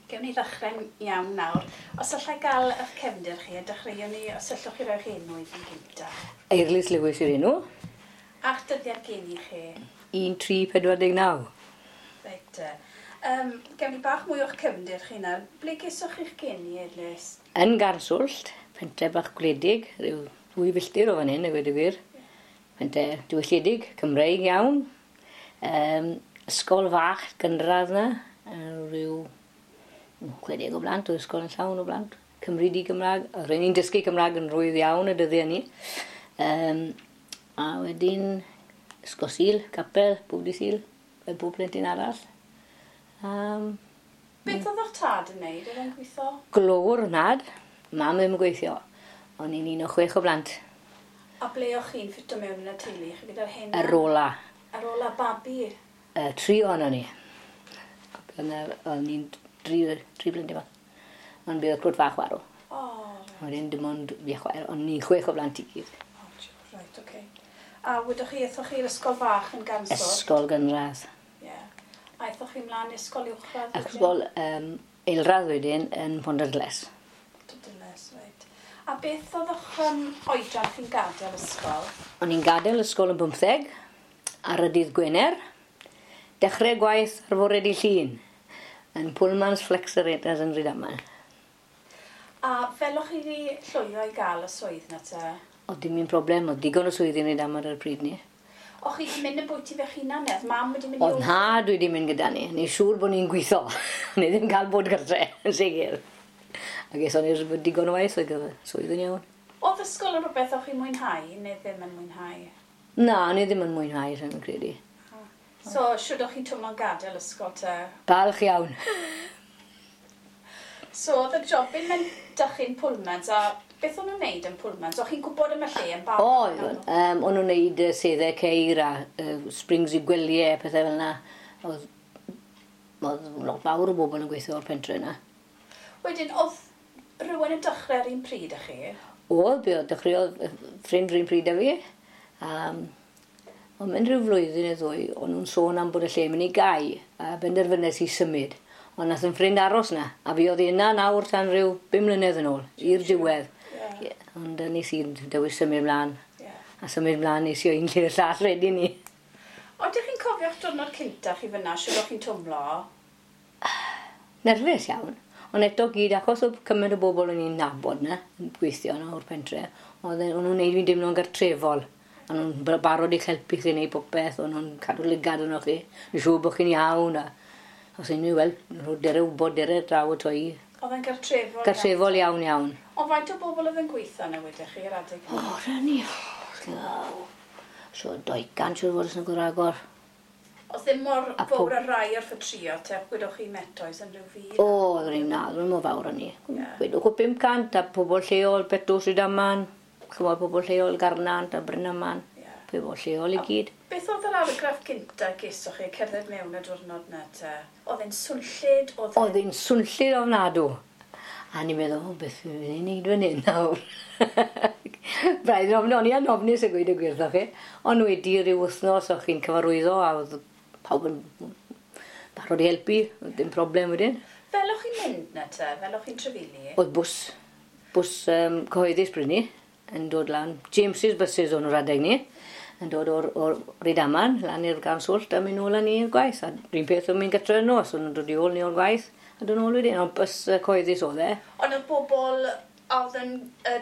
Gewn ni ddechrau'n iawn nawr. Os allai gael eich cefndir chi, a dechreuwn ni, os allwch chi roi'ch enw i fi'n gynta. Eirlys Lewis yw'r enw. A'ch dyddiad geni chi? 1349. Reit te. Gewn ni bach mwy o'ch cefndir chi nawr. Ble gesoch chi'ch geni, Eirlys? Yn Garnswllt, pentre bach gwledig, rhyw 2 filltir o fan hyn, a gweud y gwir. Pentre diwylliedig, Cymreig iawn. Ysgol fach gynradd 'na, rhyw 60 o blant, oedd ysgol yn llawn o blant. Cymru di-Gymraeg, oedd rheini'n dysgu Cymraeg yn rhwydd iawn y dyddiau 'ny. A wedyn ysgol Sul, capel, bob dydd Sul, fel bob plentyn arall. Beth oedd eich tad yn neud? Oedd e'n gweithio? Glöwr, nhad. Mam ddim yn gweithio. O'n i'n un o 6 o blant. A ble o'ch chi'n ffito mewn yn y teulu? Chi gyda'r hen? Yr ola. Yr ola babi? 3 ohonon ni. O'n i'n 3 blentyn bach. Ond bydd y clwt fach farw. O, reit. Wedyn dim ond fi a chwaer, ond ni'n 6 o blant i gyd. O, reit, oce. A wyddoch chi, aethoch chi i'r ysgol fach yn Garnswllt? Ysgol gynradd. Ie. A aethoch chi mlaen i ysgol uwchradd wedyn? Ysgol eilradd wedyn yn Pontarddulais. Pontarddulais, reit. A beth oedd eich oedran chi'n gadael ysgol? O'n i'n gadael ysgol yn 15 ar y dydd Gwener. Dechrau gwaith ar fore dydd Llun yn Pullman's Flexerators yn Rhydaman. A fel o'ch chi wedi llwyddo i gael y swydd 'na te? O'dd dim un problem, o'dd digon o swyddi yn Rhydaman ar y pryd 'ny. O'ch chi wedi mynd yn bwyty fe'ch hunan ne? O'dd mam wedi mynd i... O'dd nhad wedi mynd gyda ni, ni'n siŵr bod ni'n gweithio. Ni ddim cael bod gartre, yn sicr. A geson ni digon o waith, oedd gyda swydd yn iawn. O'dd ysgol yn rhywbeth o'ch chi'n mwynhau neu ddim yn mwynhau? Na, o'n i ddim yn mwynhau, rhaid yn credu. So, shwd o'ch chi'n twmlo'n gadael ysgol te? Balch iawn. So, o'dd y jobyn mewn dychyn Pullmans, a beth o'n nhw'n neud yn Pullmans? O'ch chi'n gwybod am y lle yn barod? Oedd, o'n nhw'n neud seddau ceir a springs i gwelyau, pethau fel yna. Oedd lot fawr o bobl yn gweithio o'r pentre yna. Wedyn, o'dd rhywun yn dechrau ar un pryd â chi? O'dd, be o'dd, dechreuodd ffrind rhywun pryd â fi. Ond mewn rhyw flwyddyn neu ddwy, o'n nhw'n sôn am bod y lle mynd i gau, a benderfynes i symud. Ond nath yn ffrind aros na, a fi oedd yna nawr tan rhyw 5 mlynedd yn ôl, i'r diwedd. Ond nes i dewis symud mlaen. A symud mlaen nes i o un lle i'r llall wedyn ni. Odych chi'n cofio'ch diwrnod cynta chi fyna, shwd o'ch chi'n twmlo? Nerfus iawn. Ond eto gyd, achos oedd cymaint o bobl o'n i'n nabod na, yn gweithio yna o'r pentre, o'n nhw'n neud fi'n dimlo'n gartrefol. O'n nhw'n barod i'ch helpu chi wneud popeth, o'n nhw'n cadw lygad arnoch chi, yn siŵr bod chi'n iawn, a os unrhyw, wel, nhw dere wybod, dere draw y toi. Oedd e'n gartrefol iawn? Gartrefol iawn, iawn. Ond faint o bobl oedd yn gweithio yna wedych chi ar adeg hynny? O, rhan ni, so 200 siŵr fod yn gwragor. Oedd ddim mor fawr ar rai o'r ffatrio te, gwedwch chi Metoes yn rhyw fyd? O, oedd rhaid na, oedd mor fawr o'n ni. Gwedwch o 500 a pobl lleol, Betws Rhydaman, chymod pobl lleol Garnant a Brynaman, pobl lleol i gyd. Beth oedd yr argraff gynta gesoch chi cerdded mewn y diwrnod na te? Oedd e'n swnllyd? Oedd e'n swnllyd ofnadw. A ni'n meddwl, o, beth fi'n mynd i wneud fan hyn nawr? Braidd yn ofn, o'n i yn ofnus a gweud y gwir wrthoch chi. Ond wedi rhyw wythnos o'ch chi'n cyfarwyddo a oedd pawb yn barod i helpu, oedd dim problem wedyn. Fel o'ch chi'n mynd na te? Fel o'ch chi'n trafeili? Oedd bws cyhoeddus bryd ni, yn dod lan. James's buses o'n nhw'r adeg ni, yn dod o'r Rhydaman lan i'r Garnswllt a mynd nôl â ni i'r gwaith. A rhywun peth o'n mynd gytre yn nos, o'n nhw'n dod i ôl ni o'r gwaith a dod nôl wedyn. Ond bws cyhoeddus oedd e. Ond oedd bobl oedd yn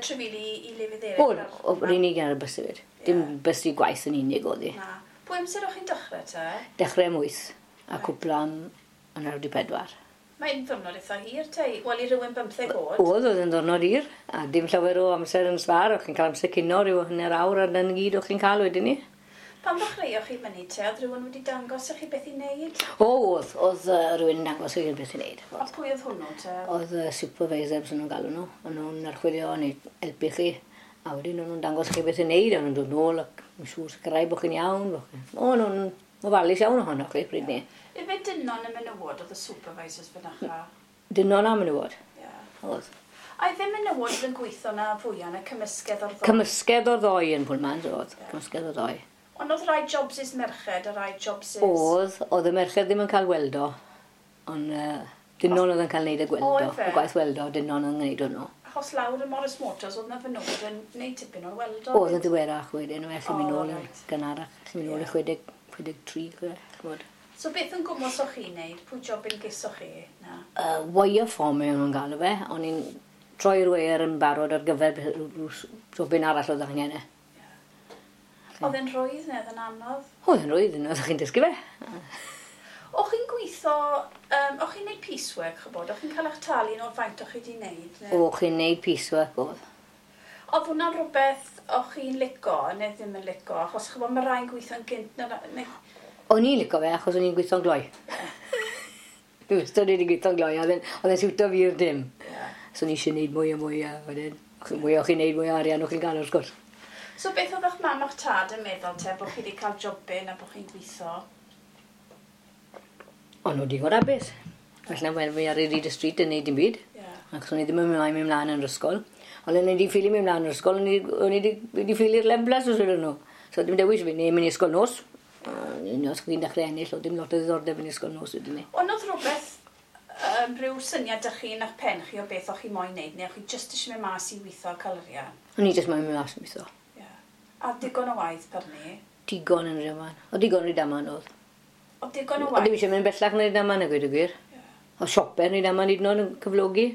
trafeili i lefydd eraill? Oedd, yr unig ar y bws hefyd. Dim bws i gwaith yn unig oedd hi. Na. Pwy amser o'ch chi'n dechrau te? Dechrau am 8 a cwpla am 4:15. Mae'n ddiwrnod eitha hir te, wel i rywun 15 oed. Oedd yn ddiwrnod hir, a dim llawer o amser yn sbar, o'ch chi'n cael amser cinio rhyw hanner awr a dyna gyd o'ch chi'n cael wedyn ni. Pan ddechreuoch chi fyny te, oedd rhywun wedi dangos i chi beth i wneud? O, oedd rhywun yn dangos i chi beth i wneud. A pwy oedd hwnnw te? Oedd supervisor, bys nhw'n galw nhw, o'n nhw'n archwilio neu helpu chi, a wedyn o'n nhw'n dangos chi beth i wneud, o'n nhw'n dod nôl ac yn siŵr sicrhau bod chi'n iawn. O'n nhw'n ofalus iawn ohonoch chi pryd ni. Ife dynon y menywod oedd y supervisors fynacha? Dynon a menywod. Oedd. A ife menywod oedd yn gweithio na fwyaf na cymysgedd o'r ddoi? Cymysgedd o'r ddoi yn Pullmans oedd. Cymysgedd o'r ddoi. Ond oedd rai jobsys merched a rai jobsys... Oedd y merched ddim yn cael weldo. Ond Dynon oedd yn cael neud y gweldo, y gwaith weldo, dynon oedd yn gwneud hwnnw. Achos lawr y Morris Motors oedd na fenywod yn gwneud tipyn o'r weldo. Oedd yn ddiweddarach wedyn, well chi'n mynd nôl yn gynharach, chi'n mynd nôl i 63, ch'mod. So beth yn gwmws o'ch chi'n neud? Pwy job yn gesoch chi? Na? Wire forming o'n galw fe. O'n i'n troi'r weiar yn barod ar gyfer jobyn arall oedd angen e. Oedd e'n rhwydd neu oedd e'n anodd? Oedd e'n rhwydd, oedd chi'n dysgu fe. O'ch chi'n gweithio, o'ch chi'n neud piecework, ch'bod? O'ch chi'n cael eich talu yn o'r faint o'ch chi wedi neud? Neu? O'ch chi'n neud piecework, oedd. Oedd hwnna'n rhywbeth o'ch chi'n lico neu ddim yn lico? Achos ch'bod, mae rhai'n gweithio'n gynt. Neu... O'n i'n lico fe achos o'n i'n gweithio'n gloi. Dwi wastad wedi gweithio'n gloi, oedd e'n siwto fi i'r dim. So o'n i eisiau neud mwy a mwy a wedyn. Mwy o'ch chi'n neud, mwy o arian o'ch chi'n gael wrth gwrs. So beth oedd eich mam a'ch tad yn meddwl te bod chi wedi cael jobyn a bod chi'n gweithio? O'n nhw digon hapus. Felly wel, fi ar y street yn neud dim byd. Achos o'n i ddim yn mynd mlaen yn yr ysgol. Ond o'n i wedi ffili mynd mlaen yn yr ysgol, o'n i wedi ffili'r leflas os ydyn nhw. So dim dewis fi, neu mynd i ysgol nos. Os chi'n dechrau ennill, oedd dim lot o ddiddordeb yn ysgol nos wedyn ni. Ond oedd rhywbeth, rhyw syniad dych chi yn eich pen chi o beth o'ch chi moyn neud, neu o'ch chi jyst eisiau mynd mas i weithio cael arian? O'n i jyst moyn mynd mas i weithio. A digon o waith per ni? Digon yn Rhydaman. O digon yn Rhydaman oedd. O digon o waith? O ddim eisiau mynd bellach yn Rhydaman, a gweud y gwir. O sioper yn Rhydaman hyd yn oed yn cyflogi.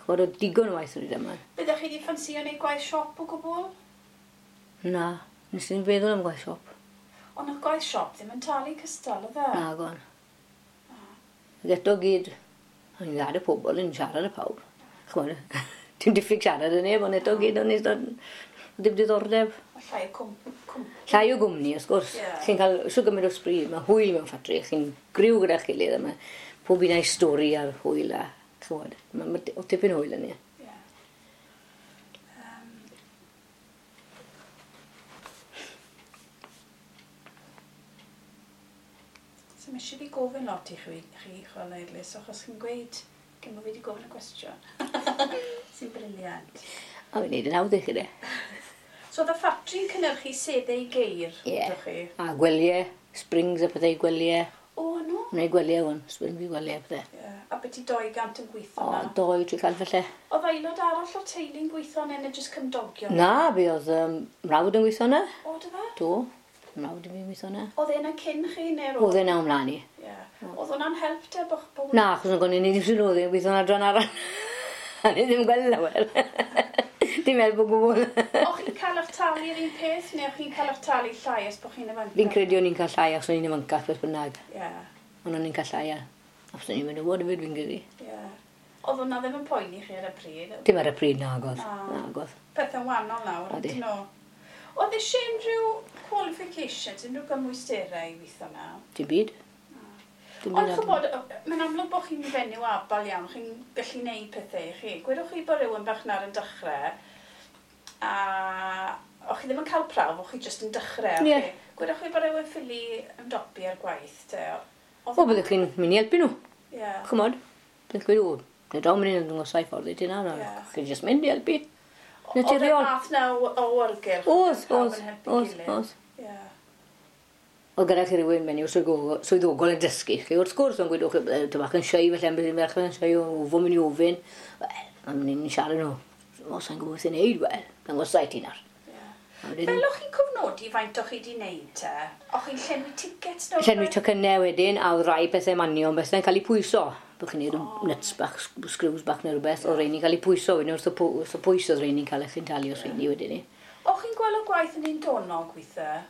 Ch'mod, oedd digon o waith yn Rhydaman. Byddech chi wedi ffansio neud gwaith siop o gwbl? Na, nes i'n feddwl am gwaith siop. Ond oedd gwaith siop ddim yn talu cystal, oedd e? Na, gon. Ac eto gyd, o'n i'n dda y pobl yn siarad â pawb. Ch'mod, dim diffyg siarad yn neb, ond eto gyd o'n i'n ddim diddordeb. Llai o cwmni. Llai o gwmni, wrth gwrs. Chi'n cael shwt gymaint o sbri, mae hwyl mewn ffatri, chi'n griw gyda'ch gilydd, a mae pob un a'i stori a'r hwyl a, ch'mod, mae o tipyn o hwyl yn ni. So mae eisiau fi gofyn lot i chi, chwarae Eirlys, achos chi'n gweud cyn bod fi wedi gofyn y cwestiwn. Sy'n briliant. A fi'n neud yn hawdd i chi de. So oedd y ffatri'n cynhyrchu seddau geir, ydych chi? A gwelyau, springs a pethau gwelyau. O, no? Neu gwelyau hwn, springs i gwelyau a pethau. Yeah. A beth i 200 yn gweithio na? O, 200-300 falle. Oedd aelod arall o'r teulu'n gweithio yna neu jyst cymdogion? Na, fi oedd mrawd yn gweithio yna. O, dy fe? Do, mrawd yn gweithio yna. Oedd e yna cyn chi neu roedd? Oedd e na ymlaen i. Ie. Oedd hwnna'n help te? Na, achos o'n gwneud ni ddim sy'n oedd e'n gweithio yn adran arall. A ni ddim gweld lawer. Dim help o gwbl. O'ch chi'n cael eich talu yr un peth, neu o'ch chi'n cael eich talu llai os bod chi'n ifancach? Fi'n credu o'n i'n cael llai achos o'n i'n ifancach beth bynnag. Ond o'n i'n cael llai a os o'n i'n mynd o fod hefyd fi'n credu. Oedd hwnna ddim yn poeni chi ar y pryd? Dim ar y pryd, nagodd. Nagodd. Pethau'n wahanol nawr, ydyn nhw. Oedd eisiau unrhyw qualifications, unrhyw gymwysterau i weithio na? Dim byd. Ond ch'bod, mae'n amlwg bod chi'n fenyw abal iawn, chi'n gallu neud pethau i chi. Gwedwch chi bod rhywun bach nawr yn dechrau, a o'ch chi ddim yn cael prawf, o'ch chi jyst yn dechrau. Ie. Gwedwch chi bod rhywun ffili ymdopi ar gwaith, te? O, byddwch chi'n mynd i helpu nhw. Ch'mod, byddwch chi'n gweud, o, neu draw mynd i'n dangosau ffordd i ti nawr, chi'n jyst mynd i helpu. Naturiol. Oedd y math na o awyrgylch? Oedd, oedd. Oedd gyda chi rhywun menyw swyddogol yn dysgu chi, wrth gwrs, ond gwedwch chi, ti'n bach yn shy, felly ambell un ferch yn shy, o fo mynd i ofyn. Wel, o'n i'n siarad nhw, o, sa'n gwybod beth i'n neud, wel, dangosau ti nawr. Fel o'ch chi'n cofnodi faint o'ch chi wedi wneud te? O'ch chi'n llenwi tickets neu? Llenwi tocynnau wedyn, a oedd rai pethau manion, bethau'n cael eu pwyso. Bod chi'n neud nuts bach, screws bach neu rhywbeth, oedd rheini'n cael eu pwyso wedyn, wrth y pwys oedd rheini'n cael eich talu os rheini wedyn ni. O'ch chi'n gweld y gwaith yn un donog weithiau?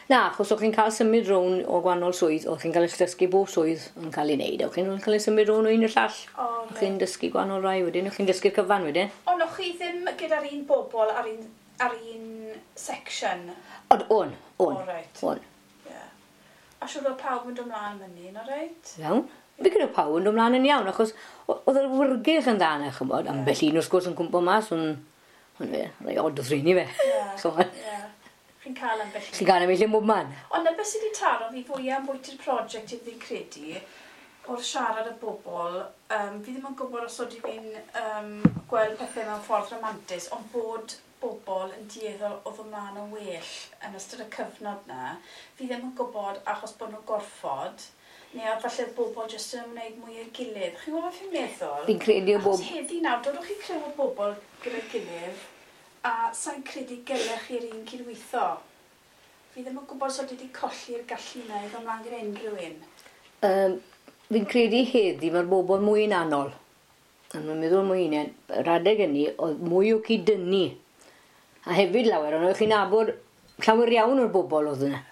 Na, achos o'ch chi'n cael symud rown o gwahanol swydd, o'ch chi'n cael eich dysgu bob swydd yn cael ei wneud, o'ch chi'n cael ei symud rown o un i'r llall. O'ch chi'n dysgu gwahanol rai wedyn, o'ch chi'n dysgu'r cyfan wedyn. Ond o'ch chi ddim gyda'r un bobl ar un section? Ond o'n. On. A siŵr oedd pawb yn dod mlaen fyny, no reit? Iawn. Fi gyda pawb yn dod mlaen yn iawn, achos oedd yr awyrgylch yn dda yna, ch'mod. Ambell un wrth gwrs yn cwmpo mas, ond fe, rhai od oedd rheini fe. Chi'n cael ambell un. Chi'n cael ambell un bob man. Ond na beth sydd wedi taro fi fwyaf am bwyty'r prosiect i fi'n credu, o'r siarad y bobl, fi ddim yn gwybod os oeddi fi'n gweld pethau mewn ffordd romantus, ond bod bobl yn dueddol o ddod mlaen yn well yn ystod y cyfnod na, fi ddim yn gwybod achos bod nhw'n gorfod, Neu oedd falle bobl jyst yn ymwneud mwy â'i gilydd. Chi'n gwybod beth fi'n meddwl? Fi'n credu o bob... Achos heddi nawr, dodwch chi criw o bobl gyda'i gilydd, a sa'n credu gelech chi'r un cydweithio. Fi ddim yn gwybod os oeddi wedi colli'r gallu yna i ddod mlaen gyda unrhyw un. Fi'n credu heddi mae'r bobl mwy yn anol. A mae'n meddwl mwy unen, yr adeg hynny, oedd mwy o cyd-dynnu. A hefyd lawer, ond o'ch chi'n nabod llawer iawn o'r bobl oedd yna.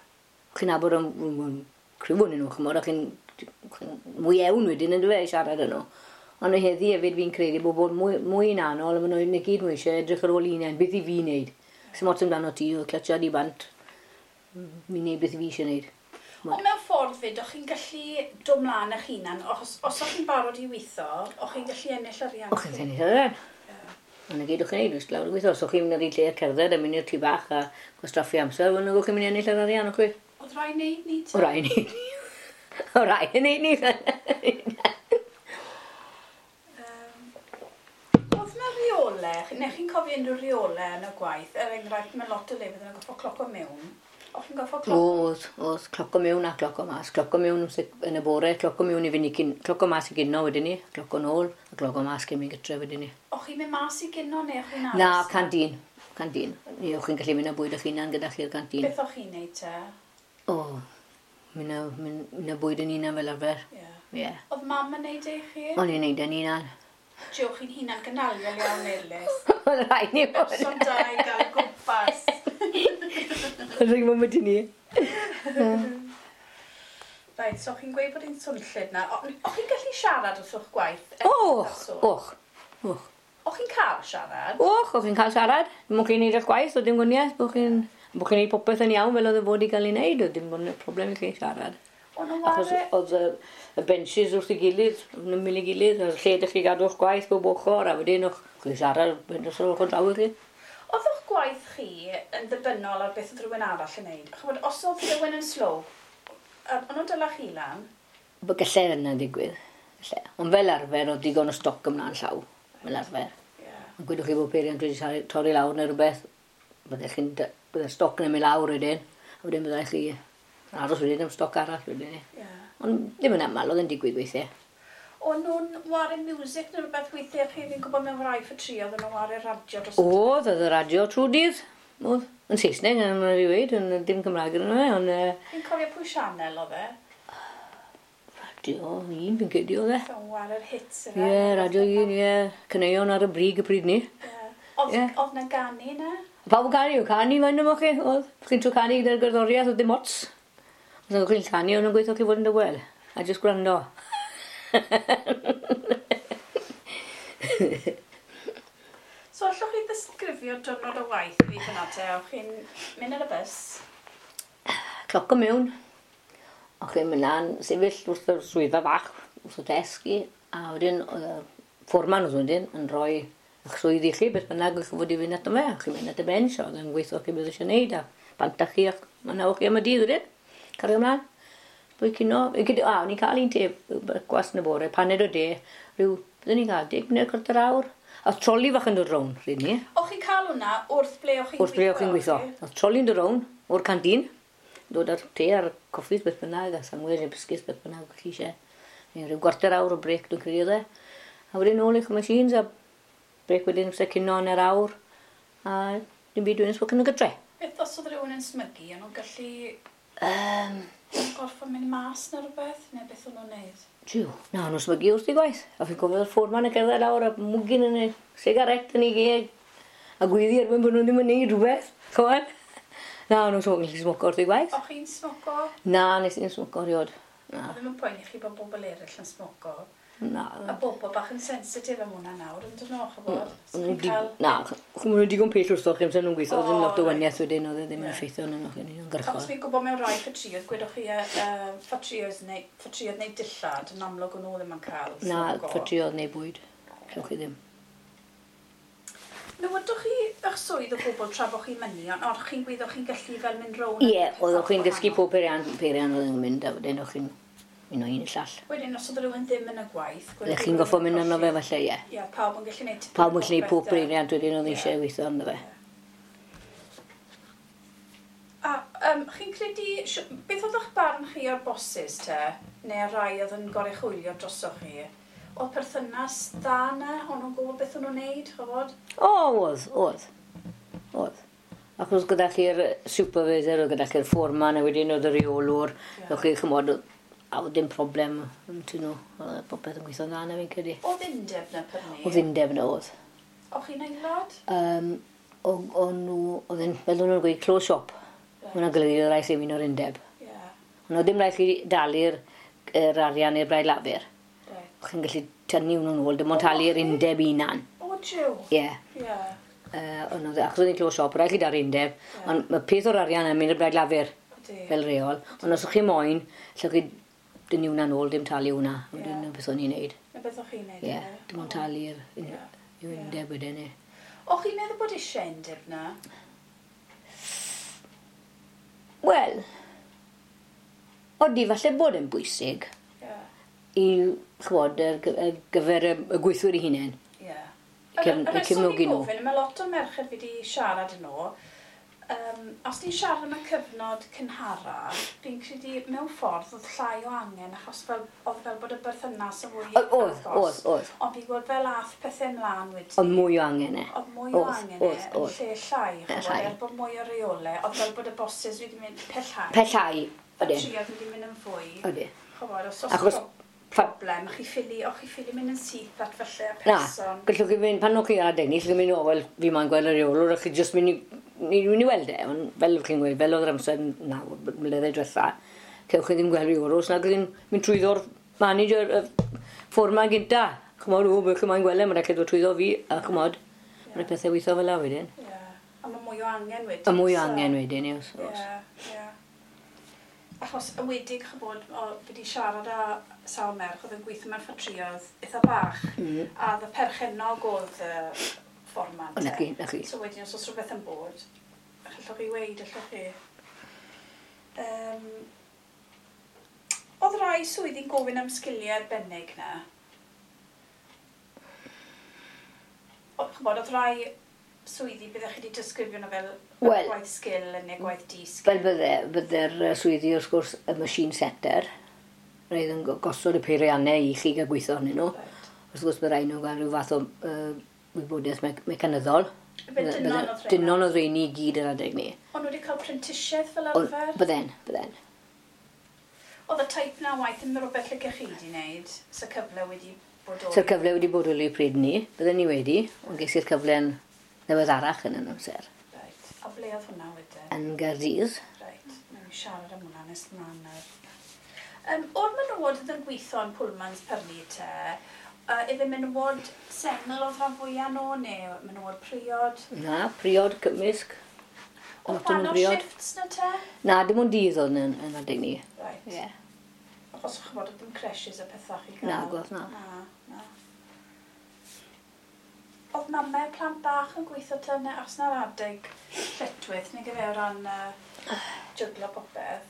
Chi'n nabod am criw o'n nhw, chymod, a chi'n mwy ewn wedyn yn dweud i siarad â nhw. Ond heddi hefyd fi'n credu bod bod mwy, mwy yn anol, a maen nhw'n gyd mwy eisiau edrych ar ôl unen, beth i fi wneud. Sy'n ots amdano ti, o clutchad i bant, mi'n neud beth i fi eisiau wneud. Ond mewn ffordd fyd, o'ch chi'n gallu dod mlaen eich hunan, os o'ch chi'n barod i weithio, o'ch chi'n gallu ennill arian? O'ch chi'n ennill arian. Ond y gyd o'ch chi'n neud, wrth lawr i weithio. Os o'ch chi'n mynd ar un lle a cerdded a mynd i'r tŷ bach a gwastraffu amser, wel, o'ch chi'n mynd i ennill yr arian, o'ch chi? Oedd rhaid neud ni te? O rai neud ni. O rai neud ni. Oedd na reole, neu chi'n cofio unrhyw reole yn y gwaith, er enghraifft mae lot o lefydd yn goffo cloco mewn. O'ch chi'n goffo cloco? Oedd, oedd, cloco mewn a cloco mas. Cloco mewn yn y bore, cloco mewn i fynd i cyn, cloco mas i gynno wedyn ni, cloco nôl, a cloco mas cyn mynd gytre wedyn ni. O'ch chi'n mynd mas i gynno neu o'ch chi'n aros? Na, canteen, canteen. Ni o'ch chi'n gallu mynd â bwyd o'ch hunan gyda chi'r canteen. Beth o'ch chi'n neud te? O, mynd â bwyd yn hunan fel arfer. Ie. Ie. Oedd mam yn neud e i chi? O'n i'n neud e'n hunan. Jiw, chi'n hunan gynaliol iawn, Eirlys. Oedd rhaid ni fod. Person da i gael gwmpas. Oedd rhaid bod ni. Reit, so chi'n gweud bod hi'n swnllyd na. O'ch chi'n gallu siarad wrth o'ch gwaith? Och, och, och. O'ch chi'n cael siarad? Och, o'ch chi'n cael siarad. Dim ond chi'n neud eich gwaith, oedd dim gwaniaeth. Bod chi'n neud popeth yn iawn fel oedd y fod i gael ei wneud, oedd dim bod yn problem i chi siarad. Achos oedd y benches wrth ei gilydd, yn ymyl ei gilydd, a'r lle ydych chi gadw eich gwaith bob ochr, a wedyn o'ch chi'n siarad mynd os o'ch draw i chi. Oedd o'ch gwaith chi yn ddibynnol ar beth oedd rhywun arall yn neud? Ch'mod, os oedd rhywun yn slow, o'n nhw'n dala chi lan? Gallai yna ddigwydd. Gallai. Ond fel arfer, oedd digon o stoc ymlaen llaw, fel arfer. Ond gwedwch chi bod peiriant wedi torri lawr neu rhywbeth, bydde'r stoc yn mynd lawr wedyn, a wedyn byddai chi aros wedyn am stoc arall wedyn. Ond ddim yn aml, oedd yn digwydd weithiau. O'n nhw'n ware music neu rhywbeth weithiau chi? Fi'n gwybod mewn rai ffatrïoedd o'n nhw'n ware radio dros y Oedd, oedd y radio trwy dydd. Oedd. Yn Saesneg, yn fi weud, yn dim Cymraeg yn yna, ond... Fi'n cofio pwy sianel oedd e? Radio 1, fi'n credu oedd e. O'n ware'r hits yna. Ie, Radio 1, ie. Caneuon ar y brig y pryd ni. Oedd na ganu na? Pawb yn canu, canu mae'n yma chi, oedd. Chi'n trio canu gyda'r gerddoriaeth, oedd dim ots. Os oedd chi'n canu, o'n nhw'n gweithio chi fod yn dawel. A jyst gwrando. So allwch chi ddisgrifio diwrnod o waith i fi fyna te? O'ch chi'n mynd ar y bws? Cloco mewn. O'ch chi'n mynd lan, sefyll wrth y swyddfa fach, wrth y desg i, a wedyn oedd y fforman oedd wedyn yn rhoi eich swydd i chi, beth bynnag o'ch chi fod i fynd ato fe. O'ch chi'n mynd at y bench, oedd yn gweithio chi beth eisiau gwneud, a bant â chi, ac ma' chi am y dydd wedyn. Cario ymlaen. Bwy cino, o'n i'n cael un te, gwas yn y bore, paned o de, rhyw, byddwn ni'n cael 10 munud, chwarter awr. A oedd troli fach yn dod rownd, rydyn ni. O'ch chi'n cael hwnna wrth ble o'ch chi'n gweithio? Wrth ble o'ch chi'n gweithio. Oedd troli'n dod rownd o'r canteen, dod ar te a'r coffis beth bynnag, a sandwich neu biscuits beth bynnag o'ch chi eisiau. Neu rhyw gwarter awr o brec dwi'n credu oedd e. A wedyn nôl i'ch machines a brec wedyn amser cino yn yr awr. A dim byd wedyn sbwc yn y gytre. Beth os oedd rhywun yn smygu, o'n nhw'n gallu gorfod mynd mas neu rhywbeth, neu beth o'n nhw'n neud? Jiw, na, o'n nhw'n smygu wrth i gwaith. A fi'n cofio'r fforman yn cerdded lawr a mwgyn yn y sigaret yn ei geg. A gwyddi erbyn bod nhw ddim yn neud rhywbeth, ch'mod? Na, o'n nhw'n gallu smoco wrth i gwaith. O'ch chi'n smoco? Na, nes i'n smoco rioed. Na. Oedd ddim yn poeni chi bod bobl eraill yn smoco? Na. A bobl bach yn sensitif am hwnna nawr, yn dyn nhw, ch'bod? Na, ch'mod nhw'n digon pell wrthoch chi amser nhw'n gweithio, oedd ddim lot o waniaeth wedyn, oedd e ddim yn effeithio arnyn nhw, chi'n gyrchol. Achos fi'n gwybod mewn rai ffatrïoedd, gwedwch chi ffatrïoedd neu dillad, yn amlwg o'n nhw ddim yn cael smoco. Na, ffatrïoedd neu bwyd, cewch chi ddim. Newydwch chi eich swydd o gwbl tra bod chi'n mynnu, ond o'ch chi'n gweud o'ch chi'n gallu fel mynd rownd? Ie, oedd chi'n dysgu pob peiriant oedd yn mynd, a wedyn o'ch chi'n un o un i'r llall. Wedyn, os oedd rhywun ddim yn y gwaith... Ydych chi'n goffo mynd arno fe falle, ie. Ie, pawb yn gallu gwneud... Pawb yn gallu gwneud pob peiriant wedyn oedd eisiau weithio arno fe. A Chi'n credu, beth oedd eich barn chi o'r bosses te, neu rai oedd yn goruchwylio drosoch chi? Oedd perthynas dda na? O'n nhw'n gwybod beth o'n nhw'n neud, ch'mod? O, oedd. Achos gyda chi'r supervisor, oedd gyda chi'r foreman, a wedyn oedd y reolwr, yeah. Oedd chi, ch'mod, a oedd dim problem yn nhw. Oedd popeth yn gweithio'n dda na fi'n credu. Oedd undeb na prynu? Oedd undeb na, oedd. O'ch chi'n aelod? O'n nhw, oedd yn, fel o'n nhw'n gweud, close shop. Right. Hwna'n golygu oedd rhaid chi un o'r undeb. Yeah. Ond oedd dim rhaid chi dalu'r arian i'r Blaid Lafur. Right. Chi'n gallu tynnu hwnnw'n ôl, dim ond talu'r undeb unan. O, jiw? Ie. Yeah. Ond oedd, achos oedd hi'n close shop, rhaid chi dalu'r undeb, yeah. Ond mae peth o'r arian yn mynd i'r Blaid Lafur fel reol. Ond os o'ch chi moyn, lle chi dynnu hwnna'n ôl, dim talu hwnna. Yeah. Dyna beth o'n i'n neud. Na beth o'ch chi'n neud? Ie, dim ond talu'r undeb wedyn. O'ch chi'n meddwl bod eisiau undeb na? Wel, odi, falle bod yn bwysig i, ch'mod, ar gyfer y gweithwyr eu hunain. Ie. Cefnogi nhw. Mae lot o merched fi wedi siarad yn nhw. Os ni'n siarad am y cyfnod cynhara, fi'n credu mewn ffordd oedd llai o angen, achos fel, oedd fel bod y berthynas yn fwy agos. Oedd. Ond fi'n gweld fel ath pethau ymlaen wedyn. Oedd mwy o angen e. Oedd mwy o angen e, yn lle llai, ch'mod, er bod mwy o reolau, oedd fel bod y bosses wedi mynd pellhau. Pellhau, oedden. Ffatrïoedd wedi mynd yn fwy. Oedden. Ch'mod, os oes problem, chi ffili mynd yn syth at falle y person. Na, gallwch chi fynd, pan o'ch chi ar adeg ni, chi'n mynd, o, wel, fi moyn gweld y reolwr, a chi jyst mynd i weld e, ond fel chi'n gweud, fel oedd yr amser 9 mlynedd diwetha, cewch chi ddim gweld reolwr, os nag chi'n mynd trwyddo'r manager, y foreman gynta. Ch'mod, o, beth chi moyn gweld e, mae'n rhaid chi ddod trwyddo fi, a ch'mod, mae'n pethau weithio fel 'na wedyn. Ie, a mae mwy o angen wedyn. A mwy o angen wedyn, ie, oes. Ie. Achos yn wedig, ch'bod, fi wedi siarad â sawl merch oedd yn gweithio mewn ffatrïoedd eitha bach, a oedd y perchennog oedd y fforman. O, na chi. So wedyn, os oes rhywbeth yn bod, allwch chi weud, allwch chi. Oedd rai swyddi'n gofyn am sgiliau arbennig na? Ch'bod, oedd rai swyddi byddech chi wedi disgrifio nhw fel gwaith sgil neu gwaith di-sgil? Fel bydde'r swyddi, wrth gwrs, y machine setter, roedd yn gosod y peiriannau i chi gael gweithio arnyn nhw. Right. Wrth gwrs, bydd rhaid nhw gael rhyw fath o wybodaeth mecanyddol. Dynon oedd rheini i gyd yr adeg ni. Ond wedi cael prentisiaeth fel arfer? Bydden. Oedd y type na waith yn rhywbeth lle chi wedi wneud? So cyfle wedi bodoli? So'r cyfle wedi bodoli pryd ni, bydden ni wedi, ond ges i'r cyfle'n ddiweddarach yn yn amser. Right. A ble oedd hwnna wedyn? Yn Gaerdydd. Right. Newn ni siarad am hwnna nes mlaen nawr. O'r menywod oedd yn gweithio yn Pullman's Pyrnu te, ife menywod sengl oedd rhan fwyaf nhw, neu menywod priod? Na, priod, cymysg. Oedd wahanol shifts na te? Na, dim ond dydd oedd yn adeg ni. Right. Yeah. Achos ch'mod, oedd dim creches a pethau chi gael? Na, gweld na. Na. Oedd mamau plant bach yn gweithio te, neu os na'r adeg lletchwith, neu gyfe o ran jyglo popeth?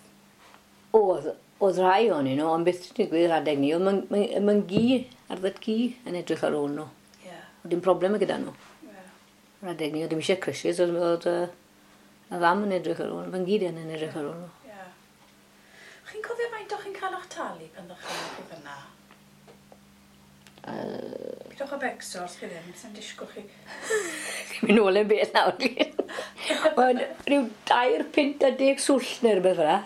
Oedd rhai ohonyn nhw, ond beth sy'n digwydd yr adeg ni, oedd mae'n gi, arddod gi yn edrych ar ôl nhw. Yeah. Oedd dim problem gyda nhw. Yeah. Yr adeg ni, oedd dim eisiau creches, oedd y fam yn edrych ar ôl, mae'n gi yn edrych ar ôl nhw. Yeah. Chi'n cofio faint o'ch chi'n cael eich talu pan ddech chi'n fyna? Pidwch â becso os chi ddim, sy'n disgwyl chi. Chi'n mynd nôl yn bell nawr. Mae'n rhyw 2 punt a 10 swllt neu rhywbeth fel 'na.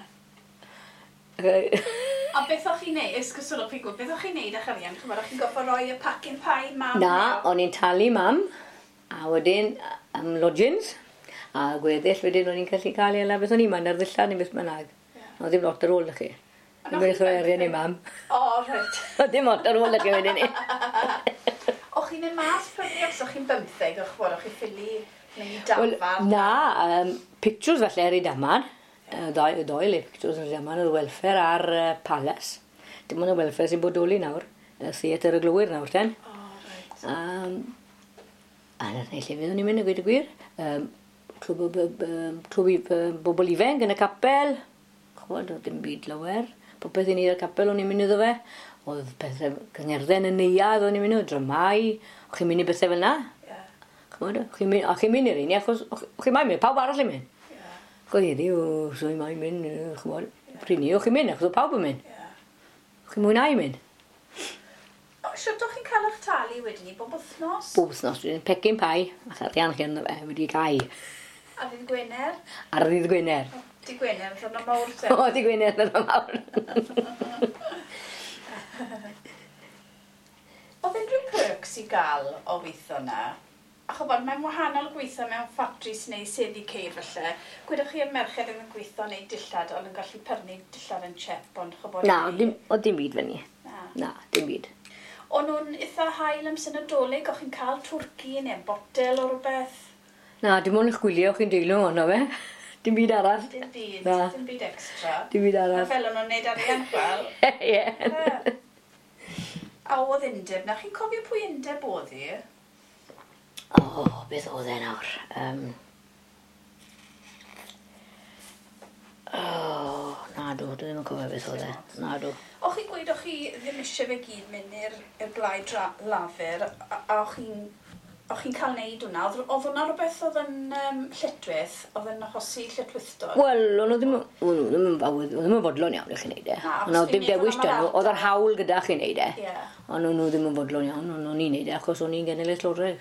A beth o'ch chi'n neud, esgusodwch chi gwybod, beth o'ch chi'n neud â'ch arian? Ch'mod, o'ch chi'n gorfod rhoi y pacyn pie mam? Na, o'n i'n talu mam, a wedyn am lodgings, a gweddill wedyn o'n i'n gallu cael ei ala beth o'n i'n mynd ar ddillad neu beth bynnag. Oedd ddim lot ar ôl chi. Ddim yn rhoi arian i mam. O, reit. Oedd ddim lot ar ôl chi wedyn ni. O'ch chi'n mynd mas prynu os o'ch chi'n 15, o'ch bod, o'ch chi'n ffili mynd i dafarn? Na, pictures falle ar ei daman. Y ddoi le pictures yn Rhydaman, oedd Welfare a'r Palace. Dim ond y Welfare sy'n bodoli nawr, y theatr y glowyr nawr ten. O, reit. A na lle fyddwn ni'n mynd, a gweud y gwir. Clwb bobl ifanc yn y capel. Ch'mod, oedd dim byd lawer. Popeth i ni i'r capel o'n i'n mynd iddo fe. Oedd pethau cyngerdden yn neuadd o'n i'n mynd, dramau. O'ch chi'n mynd i bethau fel 'na. Ie. Ch'mod, a chi'n mynd i'r un, achos o'ch chi'n mynd, pawb arall yn mynd. Go heddi, o, so i mae'n mynd, ch'mod, pryd ni, o'ch chi'n mynd, achos oedd pawb yn mynd. O'ch chi'n mwynhau mynd. Shwt o'ch chi'n cael eich talu wedyn ni, bob wythnos? Bob wythnos, wedyn pecyn pai, a arian chi ynddo fe, wedi cau. Ar ddydd Gwener? Ar ddydd Gwener. Dydd Gwener, yn ddiwrnod mawr te. O, dydd Gwener, yn ddiwrnod mawr. Oedd unrhyw perks i gael o weithio na? A ch'bod, mae'n wahanol gweithio mewn ffatris neu seddi ceir falle. Gwedwch chi y merched ddim yn gweithio neu dillad, ond yn gallu prynu dillad yn chep, ond ch'bod... Na, oedd dim byd fyny. Na. Na, dim byd. O'n nhw'n eitha hael amser Nadolig, o'ch chi'n cael twrci neu botel o rhywbeth? Na, dim ond eich gwylio o'ch chi'n deilwng ono fe. Dim byd arall. Dim byd, na. Dim byd extra. Dim byd arall. Fel o'n nhw'n neud arian fel. Ie. A oedd undeb na, chi'n cofio pwy undeb oedd hi? O, beth oedd e nawr? O, na dw, dwi ddim yn cofio beth oedd e. Na dw. O'ch chi'n gweud o'ch chi ddim eisiau fe gyd mynd i'r blaid Lafur, a o'ch chi'n cael neud hwnna? Oedd hwnna rhywbeth oedd yn lletchwith, oedd yn achosi lletchwithdod? Wel, o'n nhw ddim yn fodlon iawn i chi wneud e. Ond oedd dim dewis dyn nhw, oedd yr hawl gyda chi wneud e. Ond o'n nhw ddim yn fodlon iawn, ond o'n i'n wneud e achos o'n i'n genedlaetholwraig.